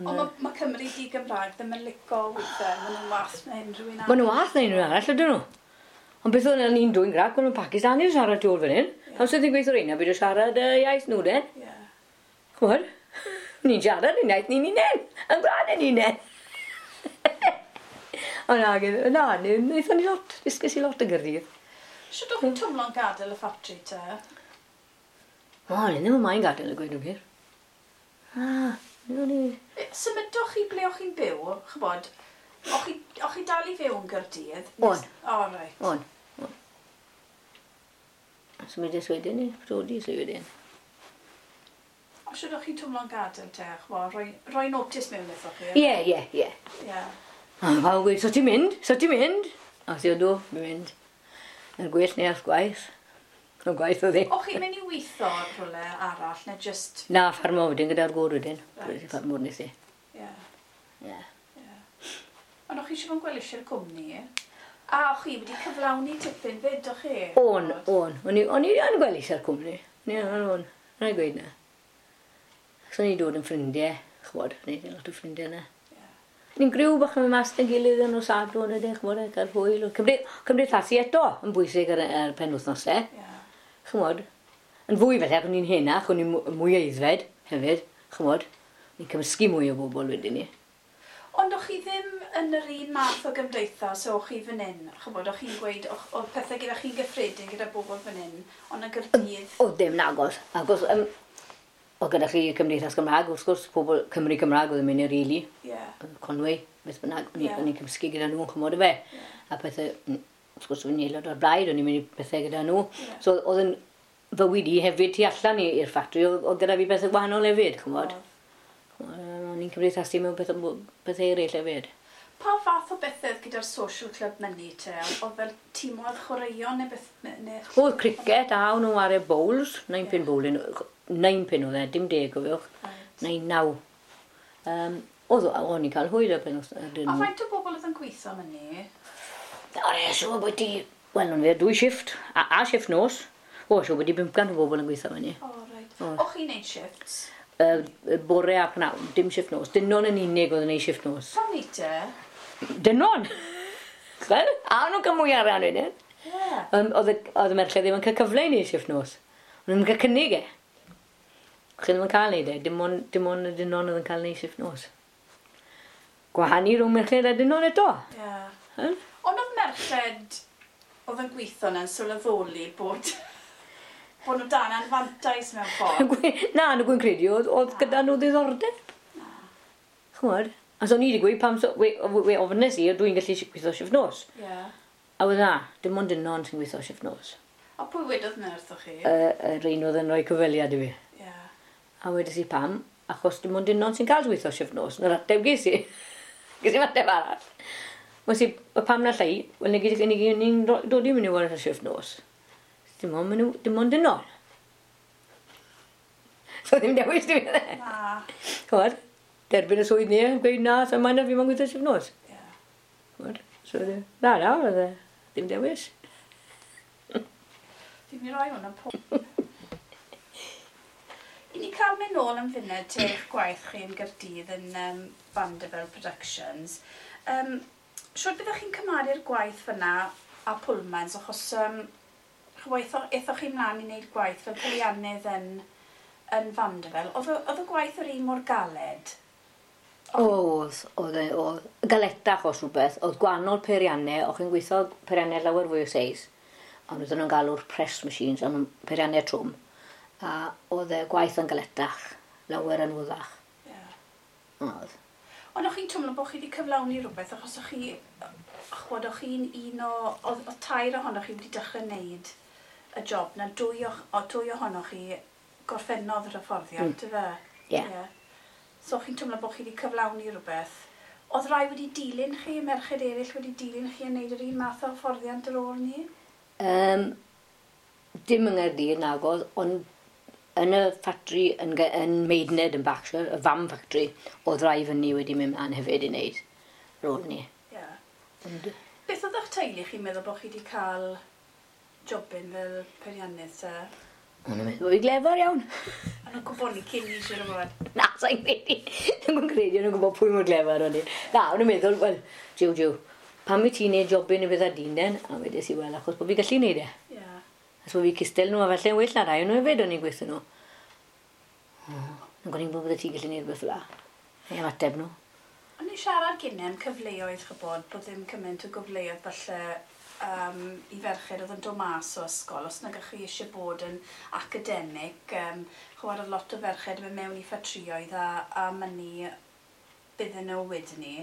Ond mae ma Cymru di Gymraeg ddim yn lico weithiau, maen nhw'n wath na unrhyw un arall. Maen nhw wath na unrhyw arall, ydyn nhw. Ond beth oedd ni'n dwy'n grac, maen nhw'n Pakistanis yn siarad tu ôl fan hyn. Pam sydd ni'n gweithio reina, byd o siarad iaith nhw den. Ie. Chymod? Ni'n siarad yn iaith ni'n unen, yn gwlad yn unen. Ond na, na, wnaethon ni lot, ddysges i lot yn Gaerdydd. Shwt o'ch chi'n twmlo'n gadael y ffatri te? O, ni ddim yn maen gadael y gweud yn gwir. Ah, ni o'n i... Symudoch chi ble o'ch chi'n byw, chybod, o'ch chi, o'ch chi dal i fyw yn Gaerdydd? O'n. O, reit. On, on. Symudes wedyn ni, prodi sy wedyn. O, shwt o'ch chi'n twmlo'n gadael te, chybod, rhoi notice mewn wrthoch chi? Ie, ie, ie. Ie. A pawb yn gweud, so ti'n mynd? So ti'n mynd? A si ydw, fi'n mynd. Na'r gwell neu ath gwaith. Na'r gwaith oedd e. O'ch chi'n mynd i weithio rhywle arall, neu just... Na, ffarmo wedyn gyda'r gŵr wedyn. Reit. Ffarmwr nes i. Ie, Ie. ie. Ond o'ch chi eisiau fod yn gweld eisiau'r cwmni? A o'ch chi wedi cyflawni tipyn fyd, o'ch chi? On, on. O'n i yn gweld eisiau'r cwmni. O'n i, on, on. Rhaid gweud na. So ni'n dod yn ffrindiau, ch'mod, neud lot o ffrindiau yna. Ni'n griw bach yn mynd mas 'da'n gilydd yn nos Sadwrn ydych, ch'mod, a cael hwyl. Cymdeithasu eto yn bwysig ar penwythnosau. Ch'mod, yn fwy felly, ac o'n i'n henach, o'n i'n mwy aeddfed hefyd, ch'mod. Ni'n cymysgu mwy o bobl wedyn ni. Ond o'ch chi ddim yn yr un math o gymdeithas o'ch chi fan hyn? Ch'mod, o'ch chi'n gweud, o'dd pethe gyda chi'n gyffredin gyda bobl fan hyn, ond yn Gaerdydd? O, ddim nagos. Agos, oedd gyda chi Cymdeithas Gymraeg, wrth gwrs, pobl Cymru Cymraeg oedd yn mynd i'r rili. Conwy, beth bynnag, o'n i'n cymysgu gyda nhw, ch'mod y fe. A pethau, wrth gwrs, o'n i'n aelod o'r blaid, o'n i'n mynd i pethau gyda nhw. So, oedd yn fywyd i hefyd tu allan i'r ffatri, oedd gyda fi bethau gwahanol hefyd, ch'mod. O'n i'n cymdeithasu mewn pethau eraill hefyd. Pa fath o bethau gyda'r social club myny te? Oedd fel timoedd chwaraeon neu beth? Neu... Oedd cricket a o'n nhw'n chwarae bowls, 9 pin bowling, 9 pin oedd e, dim 10 gofiwch, 9, 9. Oedd, o'n i'n cael hwyl ar pen. A faint o bobl oedd yn gweithio myny? O, e, siŵr bod ti... Wel, o'n fe, 2 shift, a shift nos. O, siŵr bod ti 500 o bobl yn gweithio myny. O, reit. O'ch chi'n neud shifts? Bore a pnawn, dim shift nos. Dynon yn unig oedd yn neud shift nos. Pam ni te? Dynon! Chwel? A o'n nhw'n cael mwy arian wedyn. Oedd y merched ddim yn cael cyfle i neud shift nos. O'n nhw'n cael cynnig e. Chi ddim yn cael neud e, dim ond y dynon oedd yn cael neud shift nos. Gwahanu rhwng merched a dynon eto. Ond oedd merched oedd yn gweithio yna'n sylweddoli bod nhw dan anfantais mewn ffordd? Na, nhw'n gwyn credu, oedd gyda nhw ddiddordeb. Ch'mod? A so ni wedi gweud pam, we ofynnes i, dwi'n gallu gweithio shift nos. A oedd na, dim ond dynon sy'n gweithio shift nos. A pwy wedodd na wrthoch chi? Yr un oedd yn rhoi cyfweliad i fi. A wedes i pam, achos dim ond dynon sy'n cael gweithio shift nos. Na'r ateb ges i. Ges i'n ateb arall. Wnes i, pam na llai, wel ni'n dod i mynd i wario shift nos. Dim ond dynon. So ddim dewis dim iddo. Na. Ch'mod? Derbyn y swydd ni, gweud na, so mae'n fi moyn gweithio shift nos. Ch'mod? So, na, oedd e, ddim dewis. Fi'n mynd i roi hwn yn pob. I ni cael mynd nôl am funud te eich gwaith chi yn Gaerdydd yn Vanderbilt Productions. Siwr byddwch chi'n cymharu'r gwaith fyna a Pullmans, achos aethoch chi mlaen i wneud gwaith fel peiriannydd yn Vanderbilt. Oedd y gwaith yr un mor galed? Oedd, galetach os rhywbeth. Oedd gwahanol peiriannau, o'ch chi'n gweithio peiriannau lawer fwy o seis, ond oedden nhw'n galw'r press machines, ond peiriannau trwm. A oedd y gwaith yn galetach, lawer yn wyddach. Oedd. Ond o'ch chi'n twmlo bod chi wedi cyflawni rhywbeth, achos o'ch chi, ch'mod, o'ch chi'n un o, oedd tair ohonoch chi wedi dechrau wneud y job na, dwy ohonoch chi gorffennodd yr hyfforddiant, yfe? Ie. So o'ch chi'n twmlo bod chi wedi cyflawni rhywbeth. Oedd rai wedi dilyn chi, merched eraill wedi dilyn chi yn wneud yr un math o hyfforddiant ar ôl ni? Dim yng Nghaerdydd nagodd, ond yn y ffatri yn Maidenhead yn Berkshire, y fam ffatri, oedd rai fyny wedi mynd mlaen hefyd i wneud rôl ni. Ond... Beth oedd eich teulu chi'n meddwl bod chi wedi cael jobyn fel peiriannydd te? O'n nhw'n meddwl bod fi glefar iawn. O'n nhw'n gwybod ni cyn i siŵr o fod? Na, sa'n credu. Nhw'n credu, o'n nhw'n gwybod pwy mor glefar o'n i. Na, o'n nhw'n meddwl, wel, jiw, pam i ti'n neud jobyn i beth a dyn den? A wedes i, wel, achos bod fi gallu neud e. Achos bod fi cystel nhw, a falle'n well na rai o'n nhw hefyd o'n i'n gweithio nhw. Yn gwneud bod ti'n gallu neud rhywbeth fel 'na. Neu ymateb nhw. O'n i'n siarad gynne am cyfleoedd, ch'bod, bod ddim cymaint o gyfleoedd falle i ferched oedd yn dod mas o ysgol, os nag ych chi eisiau bod yn academic, ch'bod, oedd lot o ferched yn mynd mewn i ffatrïoedd a mynnu bydden nhw wedyn ni.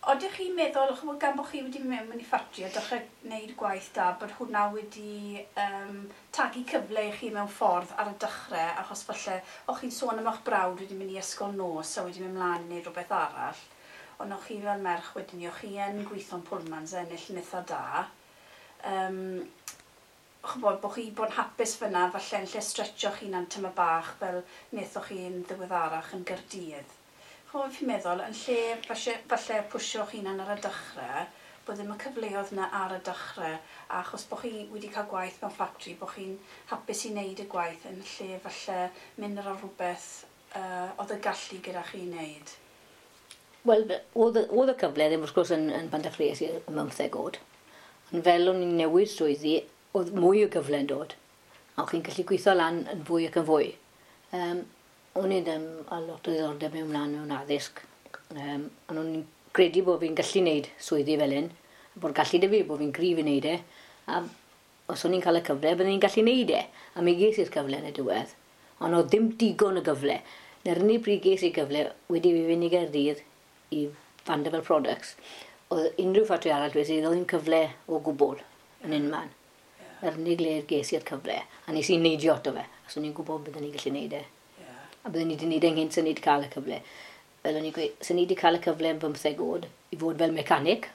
Oeddech chi'n meddwl, ch'bod, gan bod chi wedi mynd mewn i ffatri a dechrau gwneud gwaith da, bod hwnna wedi tagu cyfle i chi mewn ffordd ar y dechrau, achos falle o'ch chi'n sôn am eich brawd wedi mynd i ysgol nos a wedi mynd mlaen i wneud rhywbeth arall, ond o'ch chi fel merch wedyn ni, o'ch chi yn gweithio'n Pullmans a ennill yn eitha da. Ch'bod, bod chi bod yn hapus fyna, falle yn lle stretcho'ch hunan tyma bach fel wnaethoch chi'n ddiweddarach yn Gaerdydd. Ch'mod, fi'n meddwl, yn lle falle pwsio'ch hunan ar y dechrau, bod ddim y cyfleoedd yna ar y dechrau, a achos bod chi wedi cael gwaith mewn ffatri, bod chi'n hapus i wneud y gwaith yn lle falle mynd ar rhywbeth oedd y gallu gyda chi wneud? Wel, oedd y cyfle ddim wrth gwrs yn Bantachles i'r 15 oed. Ond fel o'n i'n newid swyddi, oedd mwy o gyfle yn dod. A o'ch chi'n gallu gweithio lan yn fwy ac yn fwy. O'n i ddim a lot o ddiddordeb mewn mlaen mewn addysg. Ond o'n i'n credu bod fi'n gallu wneud swyddi fel hyn, bod gallu 'da fi, bod fi'n gryf i wneud e. A os o'n i'n cael y cyfle, byddwn i'n gallu wneud e. A mi ges i'r cyfle yn y diwedd. Ond oedd ddim digon o gyfle. Na'r unig bryd ges i gyfle wedi fi fynd i Gaerdydd i Vandervell Products, oedd unrhyw ffatri arall wedi, oedd ddim cyfle o gwbl yn unman. Yr unig le ges i'r cyfle, a nes i neidio ato fe, achos o'n i'n gwybod byddwn i'n gallu neud e. A byddwn i wedi neud e'n gynt sy'n ni wedi cael y cyfle. Fel o'n i'n gweud, sy'n ni wedi cael y cyfle yn 15 oed i fod fel mecanic,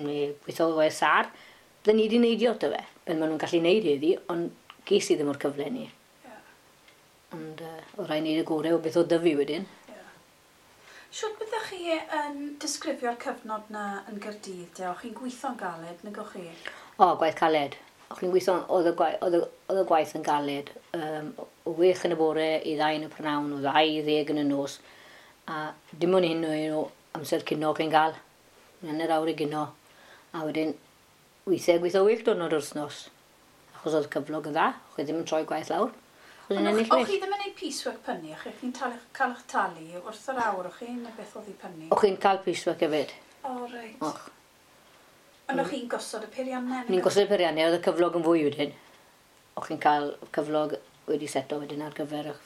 neu gweithio efo SR, byddwn ni wedi neidio ato fe, fel maen nhw'n gallu neud heddi, ond ges i ddim o'r cyfle ni. Ond oedd rhaid neud y gorau o beth oedd 'da fi wedyn. Shwt byddech chi yn disgrifio'r cyfnod na yn Gaerdydd, de? O'ch chi'n gweithio'n galed, nag o'ch chi? O, gwaith caled. O'ch chi'n gweithio, oedd y gwaith yn galed. O 6 yn y bore i 2 yn y prynhawn, o 2 i 10 yn y nos. A dim ond hyn o amser cino chi'n gael. Hanner awr i gino. A wedyn, weithiau gweithio 8 diwrnod yr wythnos. Achos oedd cyflog yn dda, o'ch chi ddim yn troi gwaith lawr. Ond o'ch chi ddim yn gwneud piecework pynnu, o'ch chi'n cael eich talu wrth yr awr, o'ch chi'n neu beth oedd i pynnu? O'ch chi'n cael piecework hefyd. O, reit. Och. Ond o'ch chi'n gosod y peiriannau? Ni'n gosod y peiriannau, oedd y cyflog yn fwy wedyn. O'ch chi'n cael cyflog wedi seto wedyn ar gyfer eich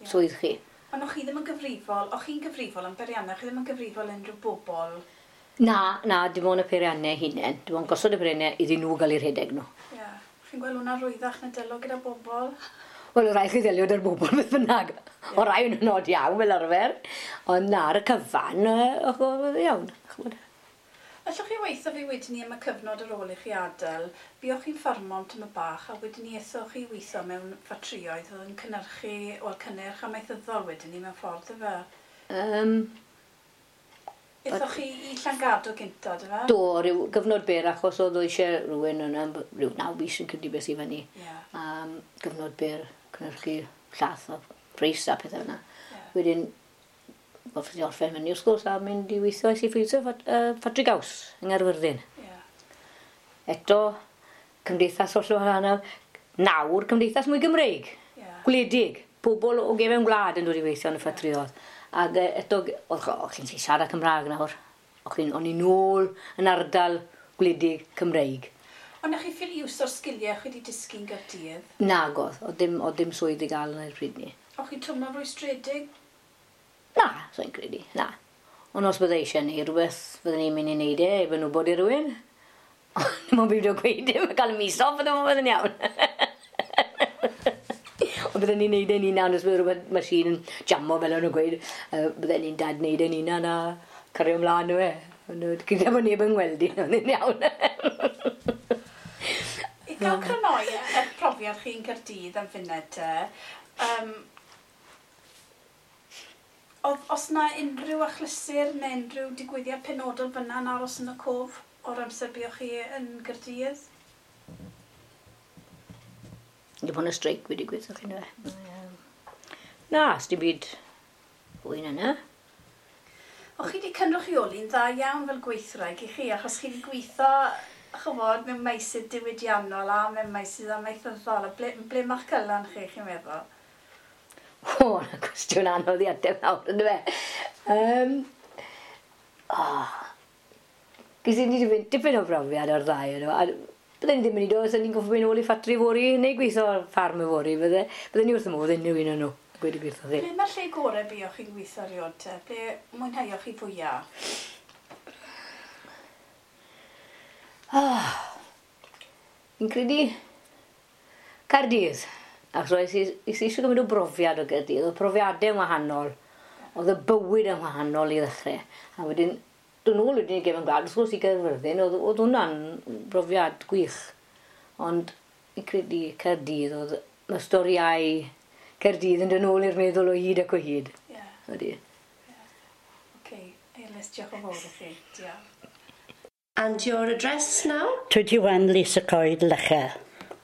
swydd chi. Ond o'ch chi ddim yn gyfrifol, o'ch chi'n gyfrifol am peiriannau, o'ch chi ddim yn gyfrifol unrhyw bobl? Na, dim ond y peiriannau hunain. Dim ond gosod y peiriannau iddyn nhw gael eu rhedeg nhw. Ie. Chi'n gweld hwnna rwyddach na delio gyda bobl? Wel, o rai chi ddelio 'da'r bobl beth bynnag. O rai yn nod iawn fel arfer. Ond na, ar y cyfan, oedd iawn. Allwch chi weithio fi wedyn ni am y cyfnod ar ôl i chi adael? Buoch chi'n ffarmo am tyma bach a wedyn ni ethoch chi weithio mewn ffatrioedd oedd yn cynhyrchu, wel, cynnyrch amaethyddol wedyn ni mewn ffordd, yfe? Ethoch chi i Llangadog gynta, dy fe? Do, rhyw gyfnod byr, achos oedd eisiau rhywun yna, rhyw 9 mis yn credu beth i fyny. Gyfnod byr, cynhyrchu llath a preis a pethau yna. Wedyn, gorffod i orffen fyny wrth gwrs a mynd i weithio i ffeithio ffatri gaws yng Nghaerfyrddin. Eto, cymdeithas hollol wahanol. Nawr, cymdeithas mwy Gymreig. Gwledig. Pobl o gefen gwlad yn dod i weithio yn y ffatrioedd. Ac eto, o'ch chi'n siarad Cymraeg nawr. O'n i nôl yn ardal gwledig Cymreig. Ond o'ch chi ffili iwso'r sgiliau chi wedi dysgu'n Gaerdydd? Nag oedd, oedd dim swydd i gael yn yr pryd ni. O'ch chi'n twmlo'n rwystredig? Na, so'n credu, na. Ond os bydde eisiau neud rhywbeth, fydden ni'n mynd i neud e, efo nhw bod i rhywun. Ond dim ond beidio gweud dim, cael y mis off, bydden nhw'n yn iawn. Ond bydden ni'n neud e'n hunan, os bydde rhywbeth machine yn jamo fel o'n nhw'n gweud, bydden ni'n dad neud e'n hunan a cario ymlaen nhw e. Ond gyda bod neb yn gweld i, ond yn iawn. I gael crynoi y profiad chi'n Caerdydd am funud te, os na unrhyw achlysur neu unrhyw digwyddiad penodol fyna yn aros yn y cof o'r amser buoch chi yn Gaerdydd? Dim ond y streic wedi gweithio chi yna. Na, sdim byd fwy na yna. O'ch chi wedi cynrychioli'n dda iawn fel gweithwraig i chi, achos chi wedi gweithio, ch'mod, mewn meysydd diwydiannol a mewn meysydd amaethyddol. A ble ma'ch cylan chi, chi'n meddwl? O, na cwestiwn anodd i ateb nawr, yndyfe? Ges i dipyn o brofiad o'r ddau yno. A bydden ni ddim yn ei dod, os ni'n goffo mynd nôl i ffatri fory, neu gweithio ar ffarm yfory, bydden ni wrth y modd unrhyw un o'n nhw, gweud y gwir wrthoch chi. Ble mae'r lle gorau buoch chi'n gweithio erioed te? Ble mwynheuoch chi fwyaf? Fi'n credu Caerdydd. Achos es i eisiau gymryd o brofiad o Gaerdydd. Oedd profiadau yn wahanol. Oedd y bywyd yn wahanol i ddechrau. A wedyn, dod nôl wedyn i gefn gwlad, wrth gwrs i Gaerfyrddin, oedd hwnna'n brofiad gwych. Ond fi'n credu Caerdydd, oedd mae storiau Caerdydd yn dod nôl i'r meddwl o hyd ac o hyd. Ydy. Oce, Elis, diolch yn fawr i chi. Diolch. And your address now? 21 Lisa Coed, Loughor.